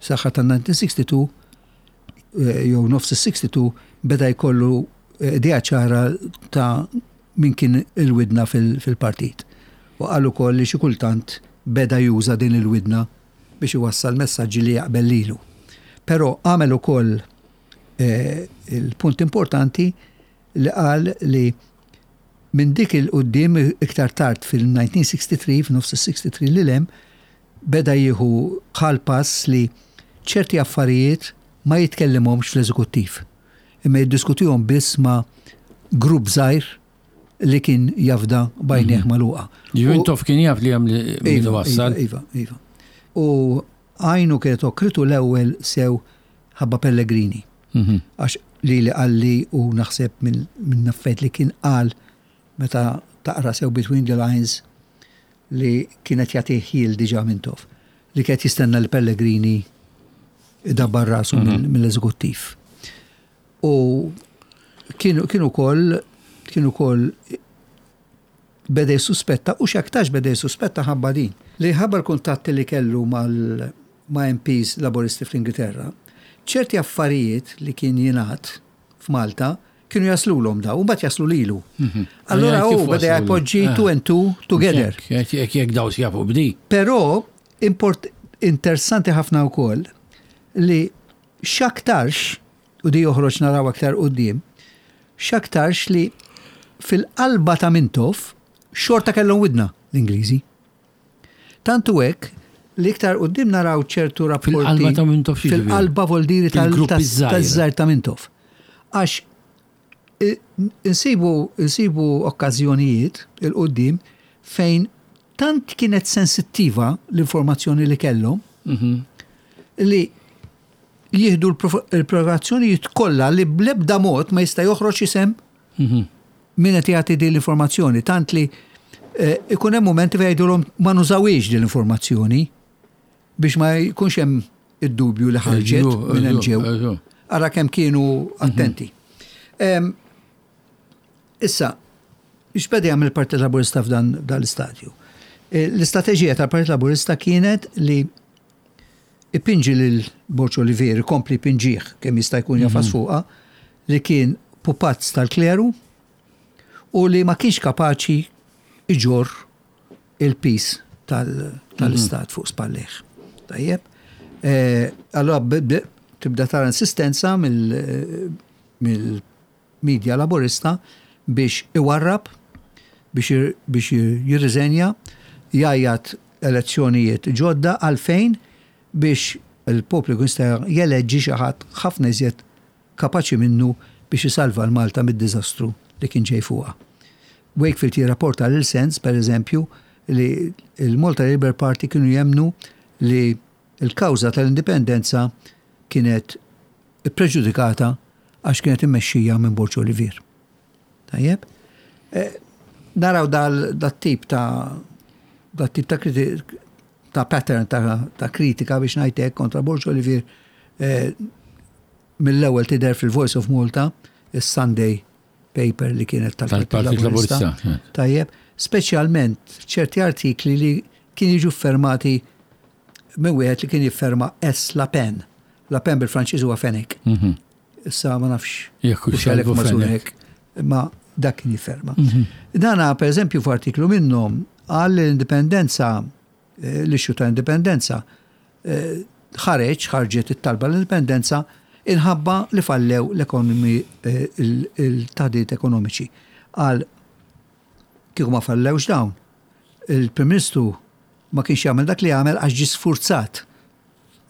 Speaker 2: saħħa ta' elf disa' mija u sitta u sittin eh, jew nofs is-sitta u sittin beda jkollu eh, idea ċara ta' min kien il-widna fil- fil-partit. U qal ukoll li xi kultant beda juża din il-widna biex iwassal messaġġi li jaqbel lilu. Però għamel ukoll eh, il-punt importanti li qal li minn dik 'il quddiem, iktar tard fil-elf disa' mija u sitta u sittin, f'nofs is-sitta u sittin li lem, beda jieħu ħal pass li ċerti affarijiet ma jitkellimhomx fl-eżekuttiv. Imma jiddiskutihom biss ma' grupp żgħir li kien jafda b'għajnejh magħluqa.
Speaker 1: Jiġifieri
Speaker 2: U-
Speaker 1: Mintoff kien jaf li hemm li min
Speaker 2: Iva,
Speaker 1: iwassal.
Speaker 2: Iva, iva, iva. U għajnu kienet okritu l-ewwel sew ħabba Pellegrini.
Speaker 1: Mhm.
Speaker 2: Għax li li qalli, u naħseb minn min naffet li kien qal meta taqra sew between the lines, li kienet jagħtih ħjiel diġà Mintoff. Li kienet jistenna li Pellegrini idabbar rasu mill- mill-eżekuttiv. U kienu kienu kol kienu kol beda jissuspetta, u x'aktarx beda jissuspetta ħabba din. Li ħabba l-kuntatti li kellu mal ma' M Ps Laboristi fl-Ingilterra, ċerti affarijiet li kien jingħad f'Malta kienu jaslulhom daw, u mbagħad jaslu lilu. Allora
Speaker 1: Kif
Speaker 2: hu beda
Speaker 1: waslu?
Speaker 2: jpoġġi
Speaker 1: Ah.
Speaker 2: two and two together.
Speaker 1: Jekk jekk jekk daw jafu b'di.
Speaker 2: Però import interessanti ħafna wkoll li x'aktarx, u di joħroġ naraw aktar quddiem, x'aktarx li fil-qalba ta' Mintoff xorta kellhom widna l-Ingliżi. Tantu hekk li iktar quddiem naraw ċertu rapporti.
Speaker 1: Fil-qalba ta' Mintoff x'jiġifieri?
Speaker 2: Fil-qalba voldiri tal-
Speaker 1: Fil-grupp
Speaker 2: tas-
Speaker 1: iż-żgħir.
Speaker 2: taż-żgħir ta' Mintoff. Għax i- insibu insibu okkażjonijiet 'il quddiem fejn tant kienet sensittiva l-informazzjoni li kellhom li jieħdu l-provokazzjonijiet kollha li bl-ebda mod ma jista' joħroġ isem min qed jagħti din l-informazzjoni, tant li eh, ikun hemm momenti fejn jgħidulhom ma nużawiex din l-informazzjoni biex ma jkunx hemm id-dubju li ħarġet minn hemm ġew. Ara kemm kienu attenti. Issa, x'beda jagħmel il-Partit Laburista f'dan l-istadju? L-istrateġija tal-Partit Laburista kienet li ipinġi lil Borg Olivier, kompli pinġih kemm jista' jkun jafas fuqha, li kien pupazz tal-kleru u li ma kienx kapaċi iġorr il-pis tal-istat fuq spallejh. Tajjeb. Allora tibda tara insistenza mill-medja laburista biex iwarrab, biex jirriżenja, jgħajjat elezzjonijiet ġodda għalfejn biex il-poplu jista' jeleġġi xi ħadd ħafna iżjed kapaċi minnu biex isalva l-Malta mid-diżastru li kien ġej fuqha. Wakefield jirrapporta lil Sands, per eżempju, li il-Malta Labour Party kienu jemnu li il-kawża tal-indipendenza kienet preġudikata għax kienet immexxija minn Borg Olivier. Tajjeb? Naraw dat-tip ta' dat-tip ta' ta' pattern ta' kritika biex ngħidlek kontra Borg Olivier mill-ewwel tidher fil-Voice of Malta, is-Sunday paper li kienet tal-Partit Laburista. Tajjeb, speċjalment ċerti artikli li kien jiġu fermati minn wieħed li kien jifferma S. La Pen. La Pen bil-Franċiż huwa Fenech. Issa ma nafx.
Speaker 1: Jekk hux Salvu Fenech.
Speaker 2: Ma dak kien jifferma. Dana, per eżempju, f'artiklu minnhom qal l-indipendenza, l-issue ta' indipendenza, ħareġ, ħarġet it-talba l-indipendenza inħabba li fallew l-ekonomi, il-taħdiet ekonomiċi. Qal kieku ma fallewx dawn, il-Prim Ministru ma kienx jagħmel dak li jagħmel għax ġie sfurzat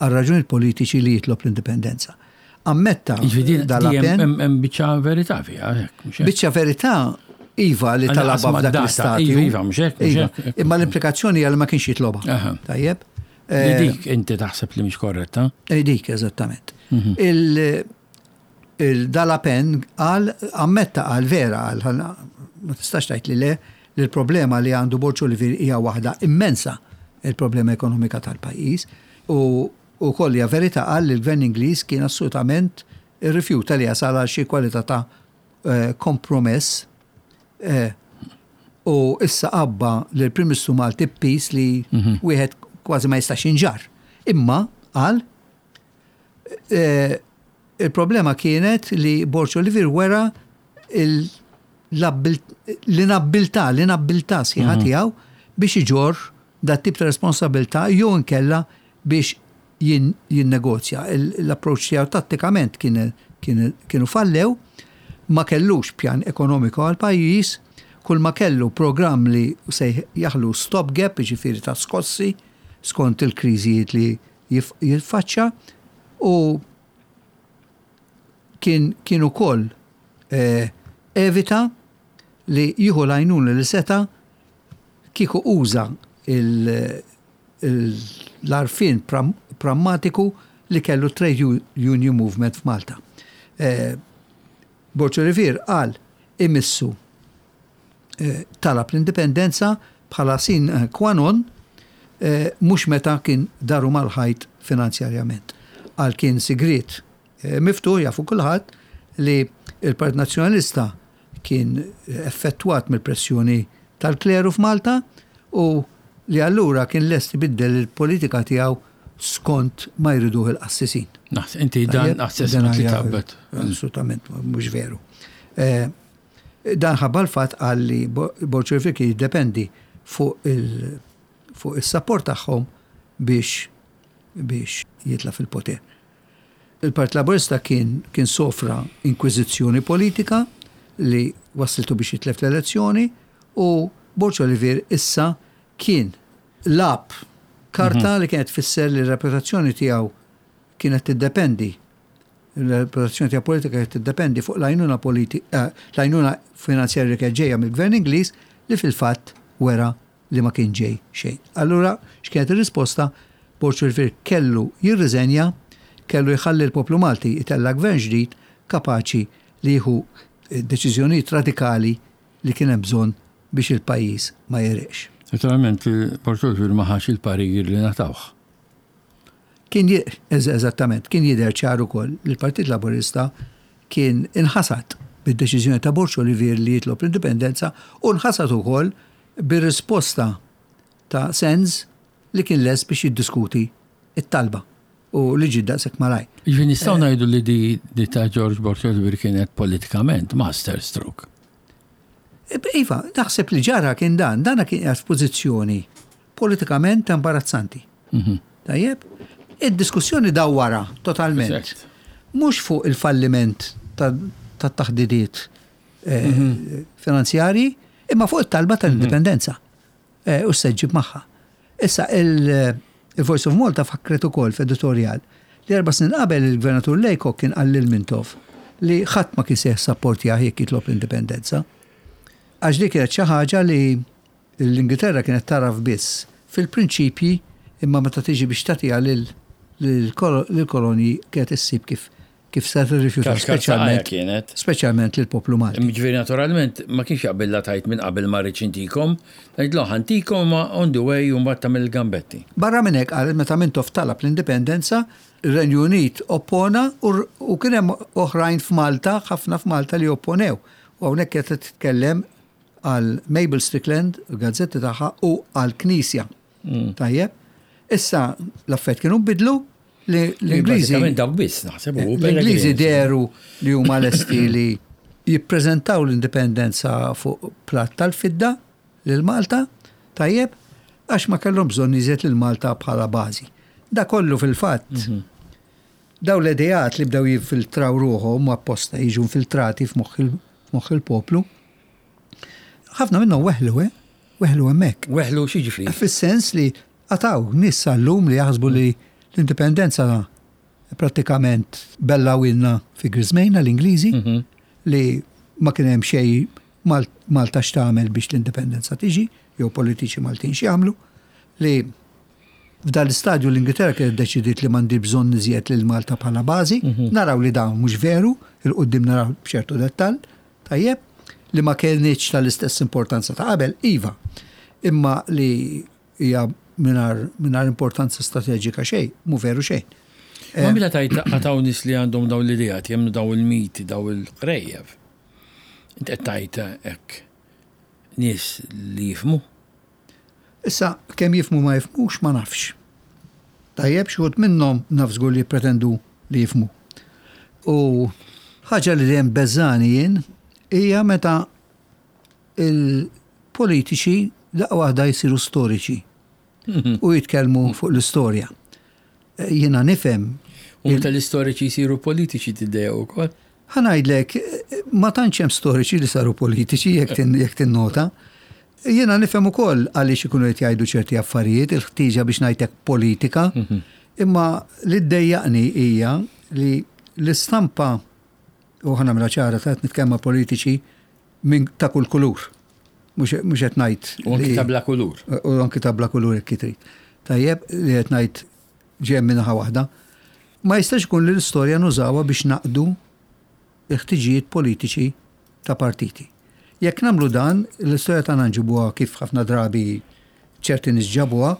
Speaker 2: għal raġunijiet politiċi li jitlob l-indipendenza. Ammetta dal-appell.
Speaker 1: Hemm biċċa verità fiha, hekk, mhux hekk?
Speaker 2: Biċċa verità iva li talabha f'dak l-istadju.
Speaker 1: Iva, iva, mhux hekk, mhux hekk.
Speaker 2: Imma l-implikazzjoni hija li ma kienx jitlobha. Tajjeb?
Speaker 1: Li dik inti taħseb li mhix korretta?
Speaker 2: Dik, eżattament. Il-Dalapen qal, ammetta qal vera, qal, ma tistax tgħid li le, li l-problema li għandu Borg Olivier hija waħda immensa, il-problema ekonomika tal-pajjiż, u u koll hija verità qal li l-gvern Ingliż kien assolutament irrifjuta li jasal għal xi kwalità ta' kompromess, u issa qabba li l-Prim Ministru Malti pis li wieħed kważi ma jistax jinġarr. Imma qal il-problema kienet li Borg Olivier wera l-inabbiltà, l-inabbiltà sħiħa tiegħu biex iġorr dat tip ta' responsabilità jew inkella biex jinnegozja. L-approċċ tiegħu tattikament kienu fallew, ma kellux pjan ekonomiku għal pajjiż, kull ma kellu programm li se jaħlu stopgap, jiġifieri ta' skossi, skont il-kriżijiet li jiffaċċa, u kien ukoll evita li jieħu l-għajnuna li seta' kieku uża l-arfin prammatiku li kellu Trade Union Movement f'Malta. Borg Olivier qal imissu talab l-indipendenza bħala sin qua non, mhux meta kien daru mal-ħajt finanzjarjament. Qal kien sigriet miftuħ jafu kulħadd li il-Partit Nazzjonalista kien effettwat mill-pressjoni tal-kleru f'Malta u li allura kien lest ibiddel il-politika tiegħu skont ma jriduh il-qassisin.
Speaker 1: Naħs, inti dan assessment li taqbet.
Speaker 2: Assolutament, mhux veru. Dan ħabba l-fatt qal li Borg Olivier kien jiddependi fuq il-support tagħhom biex biex jitla' fil-poter. Il-Partit Laburista kien kien sofra inkwiżizzjoni politika li wassiltu biex jitlef l-elezzjoni u Borg Olivier issa kien lab karta li kienet tfisser li r-reputazzjoni tiegħu kienet tiddependi, l-reputazzjoni tiegħu politika kienet tiddependi fuq l-għajnuna politi-, l-għajnuna finanzjarja li kienet ġejja mill-Gvern Ingliż li fil-fatt wera li ma kien ġej xejn. Allura, x'kienet ir-risposta? Borg Olivier kellu jirriżenja, kellu jħalli l-poplu Malti jtella' gvern ġdid kapaċi li jieħu deċiżjonijiet radikali li kien hemm bżonn biex il-pajjiż ma jereqx.
Speaker 1: Naturalment, Borg Olivier ma ħax il-parir li natawh.
Speaker 2: Kien eżattament, kien jidher ċar ukoll li l-Partit Laburista kien inħasad bid-deċiżjoni ta' Borg Olivier li jitlob l-indipendenza u nħasad ukoll bir-risposta ta' Sands li kien lest biex jiddiskuti it-talba u li ġie daqshekk malajr.
Speaker 1: Ġifieri nistgħu ngħidu li di, di ta' George Borg Olivier kienet politikament master stroke.
Speaker 2: Iva, naħseb li ġara kien dan, dana kien qiegħed f'pożizzjoni politikament imbarazzanti.
Speaker 1: Mhm.
Speaker 2: Tajjeb, id-diskussjoni dawwara totalment.
Speaker 1: Eżatt.
Speaker 2: Mhux fuq il-falliment tat-taħdidiet eh,
Speaker 1: Mhm.
Speaker 2: finanzjarji, imma fuq it-talba tal-indipendenza eh, u s-seġġib magħha. Issa il- il-Voice of Malta fakret ukoll f'editorial li erba' snin qabel il-Gvernatur Laycock kien qal lil Mintoff li ħadd ma kien se jissapportjah jekk jitlob l-indipendenza. Għax dik kienet xi ħaġa li l-Ingilterra kienet taraf biss fil-prinċipji, imma meta tiġi biex tagħtiha lil-kolonji kienet issib kif kif se tirrifjuta,
Speaker 1: Kaxkar
Speaker 2: speċjalment
Speaker 1: kienet.
Speaker 2: speċjalment lill-poplu Malti.
Speaker 1: Ġifieri naturalment ma kienx jaqbilla tajt minn qabel ma rridx intikom, tgħidlu ħa ntikom ma on the way u mbagħad tagħmel il-gambetti.
Speaker 2: Barra minn hekk, qal meta Mintoff talab l-indipendenza, ir-Renju Unit oppona u u kien hemm oħrajn f'Malta, ħafna f'Malta li opponew. U hawnhekk qed titkellem għal Mabel Strickland, il-gazzetti tagħha, u għal Knisja. Tajjeb. Issa l-affett kienu bidlu li l-Ingliżi
Speaker 1: Bażikament dawk biss naħseb u
Speaker 2: l-Ingliżi deru li huma lesti li jippreżentaw l-indipendenza fuq platt tal-fidda lil Malta, tajjeb, għax ma kellhom bżonn iżjed lil Malta bħala bażi. Da kollu fil-fatt, daw l-ideat li bdew jinfiltraw ruħhom apposta jiġu infiltrati f'moħħ il- f'moħħ il-poplu, ħafna minnhom weħlu, eh? Weħlu hemmhekk.
Speaker 1: Weħlu x'jiġifieri.
Speaker 2: Fis-sens li għad hawn nies sal-lum li jaħsbu li l-indipendenza prattikament bellgħuhielna fi griżmejna l-Ingliżi li ma kien hemm xejn Mal- Malta x'tagħmel biex l-indipendenza tiġi, jew politiċi Maltin x'jagħmlu, li f'dal istadju l-Ingilterra kienet deċidiet li m'għandi bżonn iżjed lil Malta bħala bażi, naraw li dawn mhux veru, 'il quddiem naraw b'ċertu dettall, tajjeb, li ma kienx tal-istess importanza ta' qabel, iva, imma li hija mingħajr mingħajr importanza strateġika xejn, mhu veru xejn.
Speaker 1: Ma mela tajt għad hawn nies li għandhom daw l-ideat, jemmnu daw il-miti, daw il-qrejjef. Inti qed tajt hekk nies li jifhmu.
Speaker 2: Issa, kemm jifhmu ma jifhmux ma nafx. Tajjeb, xi wħud minnhom naf żgur li pretendu li jifhmu. U ħaġa li dejjem beżani jien hija meta il-politiċi daqqa waħda jsiru storiċi u jitkellmu fuq l-istorja. Jiena nifhem
Speaker 1: U meta l-istoriċi jsiru politiċi tiddeja wkoll.
Speaker 2: Ħa ngħidlek, ma tantx hemm storiċi li saru politiċi jekk tin- jekk tinnota. Jiena nifhem ukoll għaliex ikunu qed jgħidu ċerti affarijiet, il-ħtieġa biex ngħidlek politika, imma li ddejjaqni hija li l-istampa, u ħa nagħmilha ċara ta' nitkellem ma' politiċi minn ta' kull kulur. Mhux mhux qed ngħid
Speaker 1: U anki
Speaker 2: li-
Speaker 1: ta' bla kulur.
Speaker 2: U anki ta' bla kulur jekk trid. Tajjeb, li qed ngħid ġej minn naħa waħda. Ma jistax ikun li l-istorja nużawha biex naqdu il-ħtiġijiet politiċi ta' partiti. Jekk nagħmlu dan, l-istorja tagħna nġibuha kif ħafna drabi ċerti nies ġabuha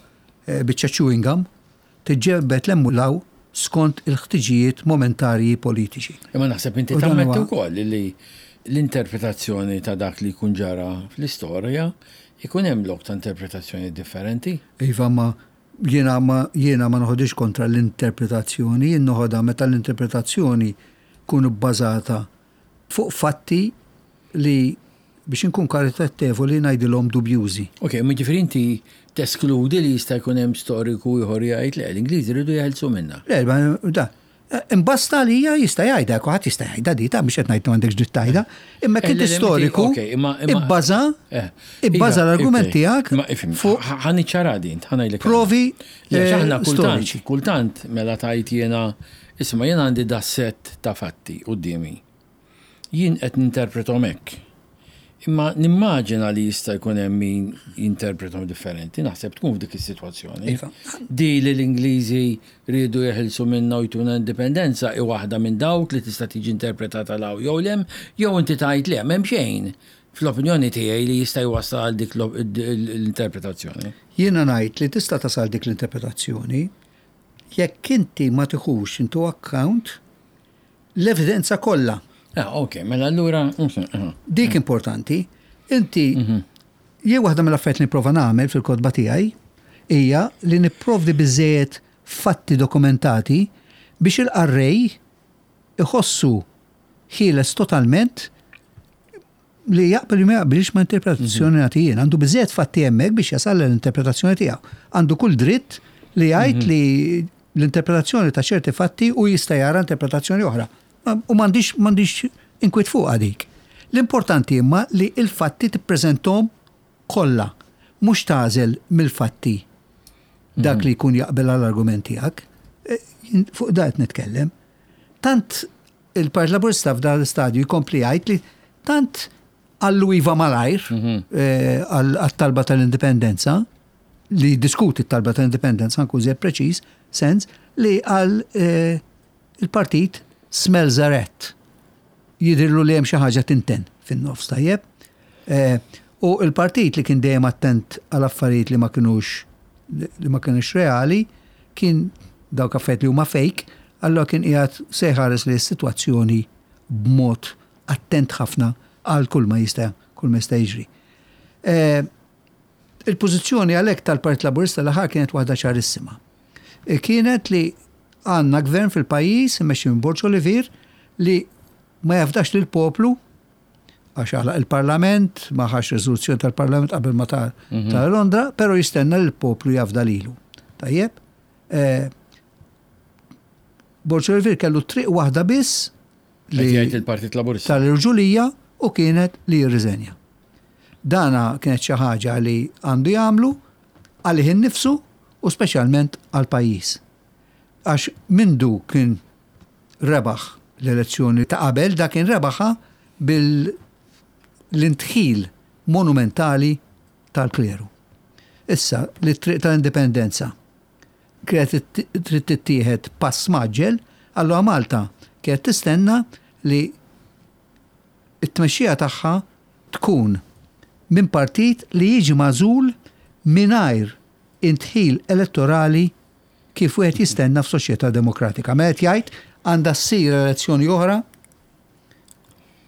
Speaker 2: eh, biċċa chewing gum, tiġġebbed 'l hemm u 'l hawn skont il-ħtiġijiet momentarji politiċi.
Speaker 1: Imma naħseb inti
Speaker 2: U dan
Speaker 1: tammetti
Speaker 2: huwa-
Speaker 1: wkoll li l-interpretazzjoni ta' dak li jkun ġara fl-istorja ikun hemm lok ta' interpretazzjoni differenti.
Speaker 2: Iva, ma jiena ma jiena ma noħodix kontra l-interpretazzjoni, jien noħodha meta l-interpretazzjoni tkun bbażata fuq fatti li, biex inkun karitatevoli, ngħidilhom dubjużi.
Speaker 1: Ok, ma ġifieri inti teskludi li jista' jkun hemm storiku ieħor jgħid le, l-Ingliżi rridu jeħelsu minna.
Speaker 2: Le, ma da. Imbasta li hija jista' jgħidha, kulħadd jista' jgħidha di, ta' biex qed ngħid m'għandekx dritt tgħidha, imma
Speaker 1: Eh,
Speaker 2: kien
Speaker 1: le, le,
Speaker 2: storiku
Speaker 1: ok, imma- imma-
Speaker 2: ibbaża
Speaker 1: Eh,
Speaker 2: ibbaża
Speaker 1: iva,
Speaker 2: l-argument
Speaker 1: ok.
Speaker 2: tiegħek
Speaker 1: Ma ifhem,
Speaker 2: fuq
Speaker 1: ħa niċċara din, ħa ngħidlek.
Speaker 2: provi
Speaker 1: Le,
Speaker 2: eh,
Speaker 1: aħna kultant,
Speaker 2: storiċi.
Speaker 1: kultant mela tajt jiena, isma' jiena għandi da set ta' fatti quddiemi. Jien qed ninterpretom hekk. Imma nimmaġina li jista' jkun hemm min jinterpretom differenti, naħseb tkun f'dik is-sitwazzjoni.
Speaker 2: Iva.
Speaker 1: Di li l-Ingliżi rridu jeħilsu minna u jtuna indipendenza i waħda minn dawk li tista' tiġi interpretata 'l hawn jew 'l hemm, jew inti tajt le m'hemm xejn fl-opinjoni tiegħi li jista' jwassal għal dik l- l-interpretazzjoni.
Speaker 2: Jiena ngħid li tista' tasal dik l-interpretazzjoni Jekk inti ma tiħux into account l-evidenza kollha.
Speaker 1: Ah, ok, mela allura.
Speaker 2: Dik importanti. Inti, jien waħda mill-affarijiet li nipprova nagħmel fil-kotba tiegħi hija li nipprovdi biżejjed fatti dokumentati biex il-qarrej iħossu ħieles totalment li jaqbel li ma jaqbilx ma' interpretazzjoni nagħti jien. Għandu biżejjed fatti hemmhekk biex jasal l-interpretazzjoni tiegħu. Għandu kull dritt li jgħid li l-interpretazzjoni ta' ċerti fatti u jista' jara interpretazzjoni oħra. U m'għandix m'għandix inkwiet fuq dik. L-importanti imma li il-fatti tippreżentom kollha, mhux tagħżel mill-fatti dak li jkun jaqbel għall-argument tiegħek. E, fuq da qed nitkellem. Tant il-Partit Laburista f'dan l-istadju jkompli jgħid li tant għallu iva malajr eh, għal-talba tal-indipendenza, li diskuti t-talba tal-indipendenza, nkun żejjed preċiż, sens li għal eh, il-partit smells a rat. Jidhirlu li hemm xi ħaġa tinten fin-nofs, tajjeb. Eh, U il-partit li kien dejjem attent għal affarijiet li ma kinux li ma kienux reali, kien dawk affarijiet li huma fake, allora kien qiegħed se jħares li s-sitwazzjoni b'mod attent ħafna għal kull ma jista' kull ma jista' jiġri. Eh, Il-pożizzjoni għalhekk tal-Partit Laburista l-aħħar kienet waħda ċarissima. E Kienet li għandna gvern fil-pajjiż immexxi minn Borg Olivier li ma jafdax lil poplu għax għalaq il-Parlament, ma ħax riżoluzzjoni tal-Parlament qabel ma tar ta' Londra, pero jistenna li l-poplu jafda lilu. Tajjeb? Eh, Borg Olivier kellu triq waħda biss
Speaker 1: Li jgħid il-Partit Laburista.
Speaker 2: tal-irġulija u kienet li jirriżenja. Dana kienet xi ħaġa li għandu jagħmlu għalih innifsu u speċjalment għal pajjiż. Għax mindu kien rebaħ l-elezzjoni ta' qabel, da kien rebaħha bil-indħil monumentali tal-kleru. Issa, li triq tal-indipendenza kienet trid tittieħed pass mgħaġġel, allura Malta kienet tistenna li it-tmexxija tagħha tkun minn partit li jiġi magħżul mingħajr indħil elettorali kif wieħed jistenna f'soċjetà demokratika. Mela qed jgħid għandha ssir elezzjoni oħra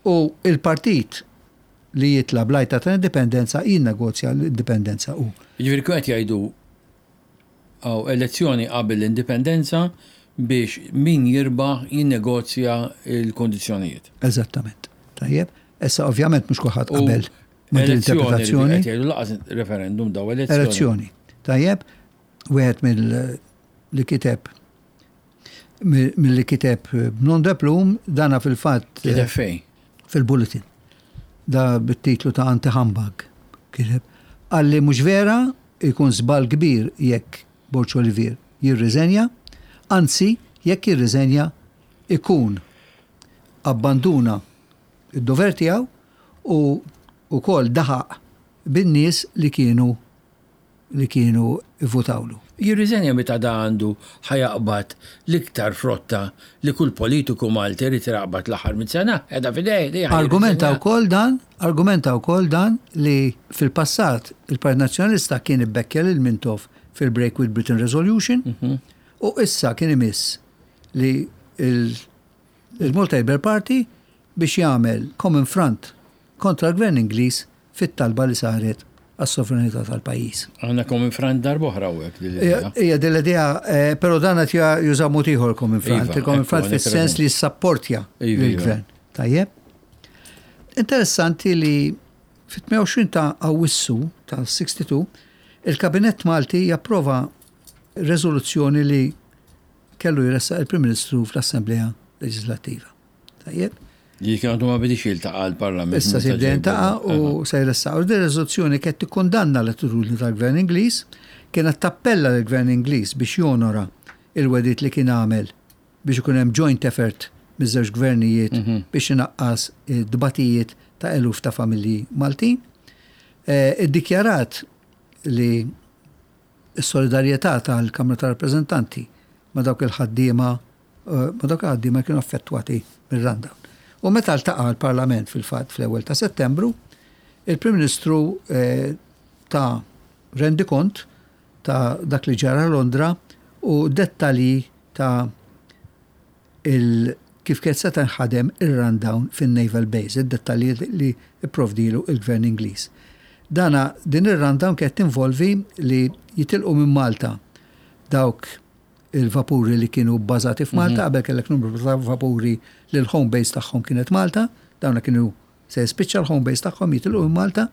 Speaker 2: u il-partit li jitla bl-għajta tal-indipendenza jinnegozja l-indipendenza u.
Speaker 1: Jiġifieri kien qed jgħidu għaw elezzjoni qabel l-indipendenza biex min jirbaħ jinnegozja il-kondizzjonijiet.
Speaker 2: Eżattament. Tajjeb. Issa ovvjament mhux kulħadd
Speaker 1: U
Speaker 2: qabel ma' din
Speaker 1: elezzjoni li
Speaker 2: l-interpretazzjoni.
Speaker 1: qed jgħidu lanqas referendum daw elezzjoni.
Speaker 2: Elezzjoni. Tajjeb, wieħed mill li kiteb mill-li kiteb b'nom de plume, dana fil-fatt
Speaker 1: Kiteb fejn?
Speaker 2: fil-bulletin. Da bit-titlu ta' Anti-Humbug. Kiteb. Għalli mhux vera ikun żball kbir jekk Borg Olivier jirriżenja, anzi jekk jirriżenja ikun abbanduna id-dover tiegħu u ukoll daħaq bin-nies li kienu li kienu votawlu.
Speaker 1: Jirriżenja meta da għandu ħa jaqbad l-iktar frotta li kull politiku Malti irid jaqbad l-aħħar minn sena, qiegħda f'idejh. li ħa
Speaker 2: Argumenta
Speaker 1: jirriżenja.
Speaker 2: wkoll dan, argumenta wkoll dan li fil-passat il-Partit Nazzjonalista kien ibbekkja lil Mintoff fil-Break with Britain Resolution u issa kien imiss li il- il-Malta Labour Party biex jagħmel Common Front kontra l-Gvern Ingliż fit-talba li saret għas-sovranità tal-pajjiż.
Speaker 1: Għandna Common Front darb'oħra u hekk din l-idea.
Speaker 2: Ija din l-idea, eh, però dan qed juża mod ieħor Common Front.
Speaker 1: Iva,
Speaker 2: Il-Common
Speaker 1: ekku,
Speaker 2: Front
Speaker 1: għandek
Speaker 2: fis-sens
Speaker 1: raġun.
Speaker 2: li jissapportja
Speaker 1: Iva, iva.
Speaker 2: lill-gvern. Tajjeb. Interessanti li fit-tmienja u għoxrin ta' Awwissu ta' sitta u sittin il-Kabinett Malti japprova rezoluzzjoni li kellu jressaq il-Prim Ministru fl-Assemblea Leġislattiva. Tajjeb.
Speaker 1: Li kien għandu ma bidix jiltaqa' l-Parlament.
Speaker 2: Issa se jibda jiltaqa' u se jressaq. U din rezoluzzjoni kienet tikkundanna l-attitudni tal-Gvern Ingliż, kienet tappella lill-Gvern Ingliż biex jonora il-wegħdiet li kien għamel biex ikun hemm joint effort miż-żewġ gvernijiet biex inaqqas id-dbatijiet ta' eluf ta' familji Maltin. Eh, Iddikjarat li s-solidarjetà tal-Kamra ta' Rappreżentanti ma' dawk il-ħaddiema eh, ma' dawk il-ħaddiema kienu affettwati mir-rundown. U meta ltaqa' l-Parlament fil-fatt fl-ewwel ta' Settembru, il-Prim Ministru eh, ta rendikont ta' dak li ġara Londra u dettalji ta' il kif kienet se tinħadem ir-rundown fin-Naval Base, id-dettalji li ipprovdilu il-Gvern Ingliż. Dana din ir-rundown kienet tinvolvi li jitilqu minn Malta dawk il-vapuri li kienu bbażati f'Malta, qabel kellek numru ta' vapuri li l-home base tagħhom kienet Malta, dawna kienu se jispiċċa l-home base tagħhom, jitilqu minn Malta,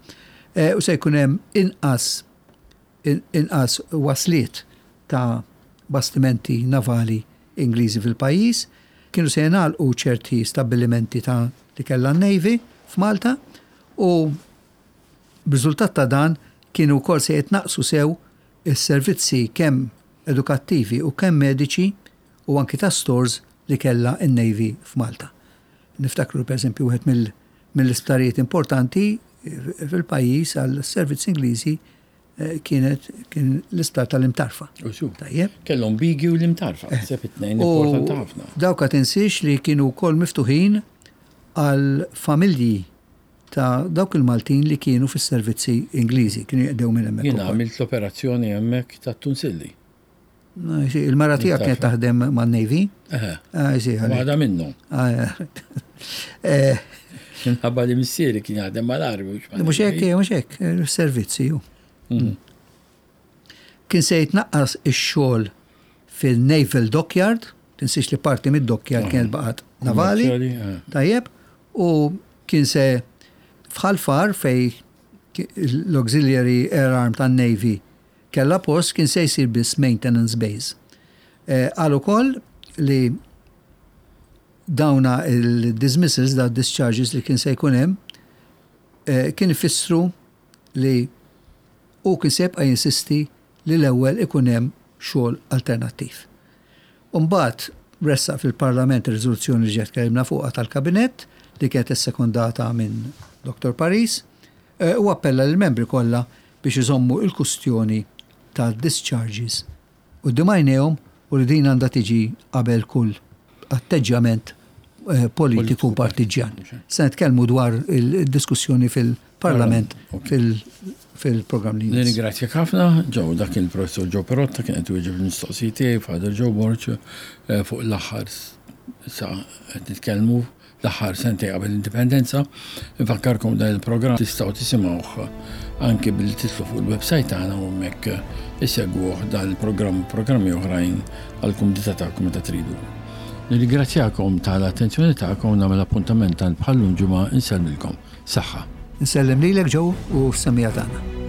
Speaker 2: eh, u se jkun hemm inqas inqas wasliet ta' bastimenti navali Ingliżi fil-pajjiż, kienu se jingħalqu ċerti stabbilimenti ta' li kellha n-Navy f'Malta u b'riżultat ta' dan kienu wkoll se jitnaqsu sew is-servizzi kemm edukattivi u kemm mediċi u anki ta' stores li kellha n-Navy f'Malta. Niftakru, per eżempju, wieħed mill-isptarijiet importanti fil-pajjiż għal servizzi Ingliżi eh, kienet kien l-isptar tal-Imtarfa.
Speaker 1: Tajjeb. Kellhom Bighi u l-Imtarfa, eh. sepp it-tnejn importanti ħafna.
Speaker 2: Dawk tinsiex li kienu wkoll miftuħin għal familji ta' dawk il-Maltin li kienu fis-servizzi Ingliżi, kienu jaqdew minn hemmhekk.
Speaker 1: Jiena għamilt l-operazzjoni hemmhekk ta' Tunsilli.
Speaker 2: Il-mara tiegħek kienet taħdem man-Navy?
Speaker 1: Waħda minnhom. Minħabba li missieri kien jaħdem mal-armi.
Speaker 2: Mhux hekk, mhux hekk, servizzi ju. Mm. Kien se jitnaqqas ix-xogħol fil-Naval Dockyard, tinsiex li parti mid-dockyard kienet baqgħet navali, tajjeb, u kien se f'Ħal Far, fej l-Auxiliary Air Arm tan-Navy kella post, kien se jsir biss maintenance base. Qal ukoll li dawna il-dismissals, da discharges li kien se jkun hemm, kien ifissru li u kien se jibqa' jinsisti li l-ewwel ikun hemm xogħol alternattiv. Umbagħad ressaq fil-Parlament ir-riżoluzzjoni li ġiet kellimna fuqha tal-Kabinett, li kienet issekondata minn Doktor Paris, u appella lill-membri kollha biex iżommu il-kustjoni ta' discharges u d-dimajnejhom u li din għandha tiġi qabel kull atteġġjament politiku partiġjan. Se nitkellmu dwar il-diskussjoni fil-Parlament fil-programm li jmiss.
Speaker 1: Nirringrazzjak ħafna, Joe, dak il-professor Joe Perotta kien qed iwieġeb il-mistoqsijiet tiegħi, Father Joe Borg, fuq l-aħħar sa qed nitkellmu l-aħħar sentej qabel l-indipendenza. Nfakkarkom, dan il-programm tistgħu tisimgħuh anki billi tidħlu fuq il-website tagħna u hemmhekk isegwuh dan il-programm u programmi oħrajn għall-kumdità tagħkom meta tridu. Nirringrazzjakom tal-attenzjoni tagħkom, nagħmel appuntament tal bħallum ġimgħa, insellmilkom. Saħħa.
Speaker 2: Insellem lilek, Joe, u s-semmiegħa tagħna.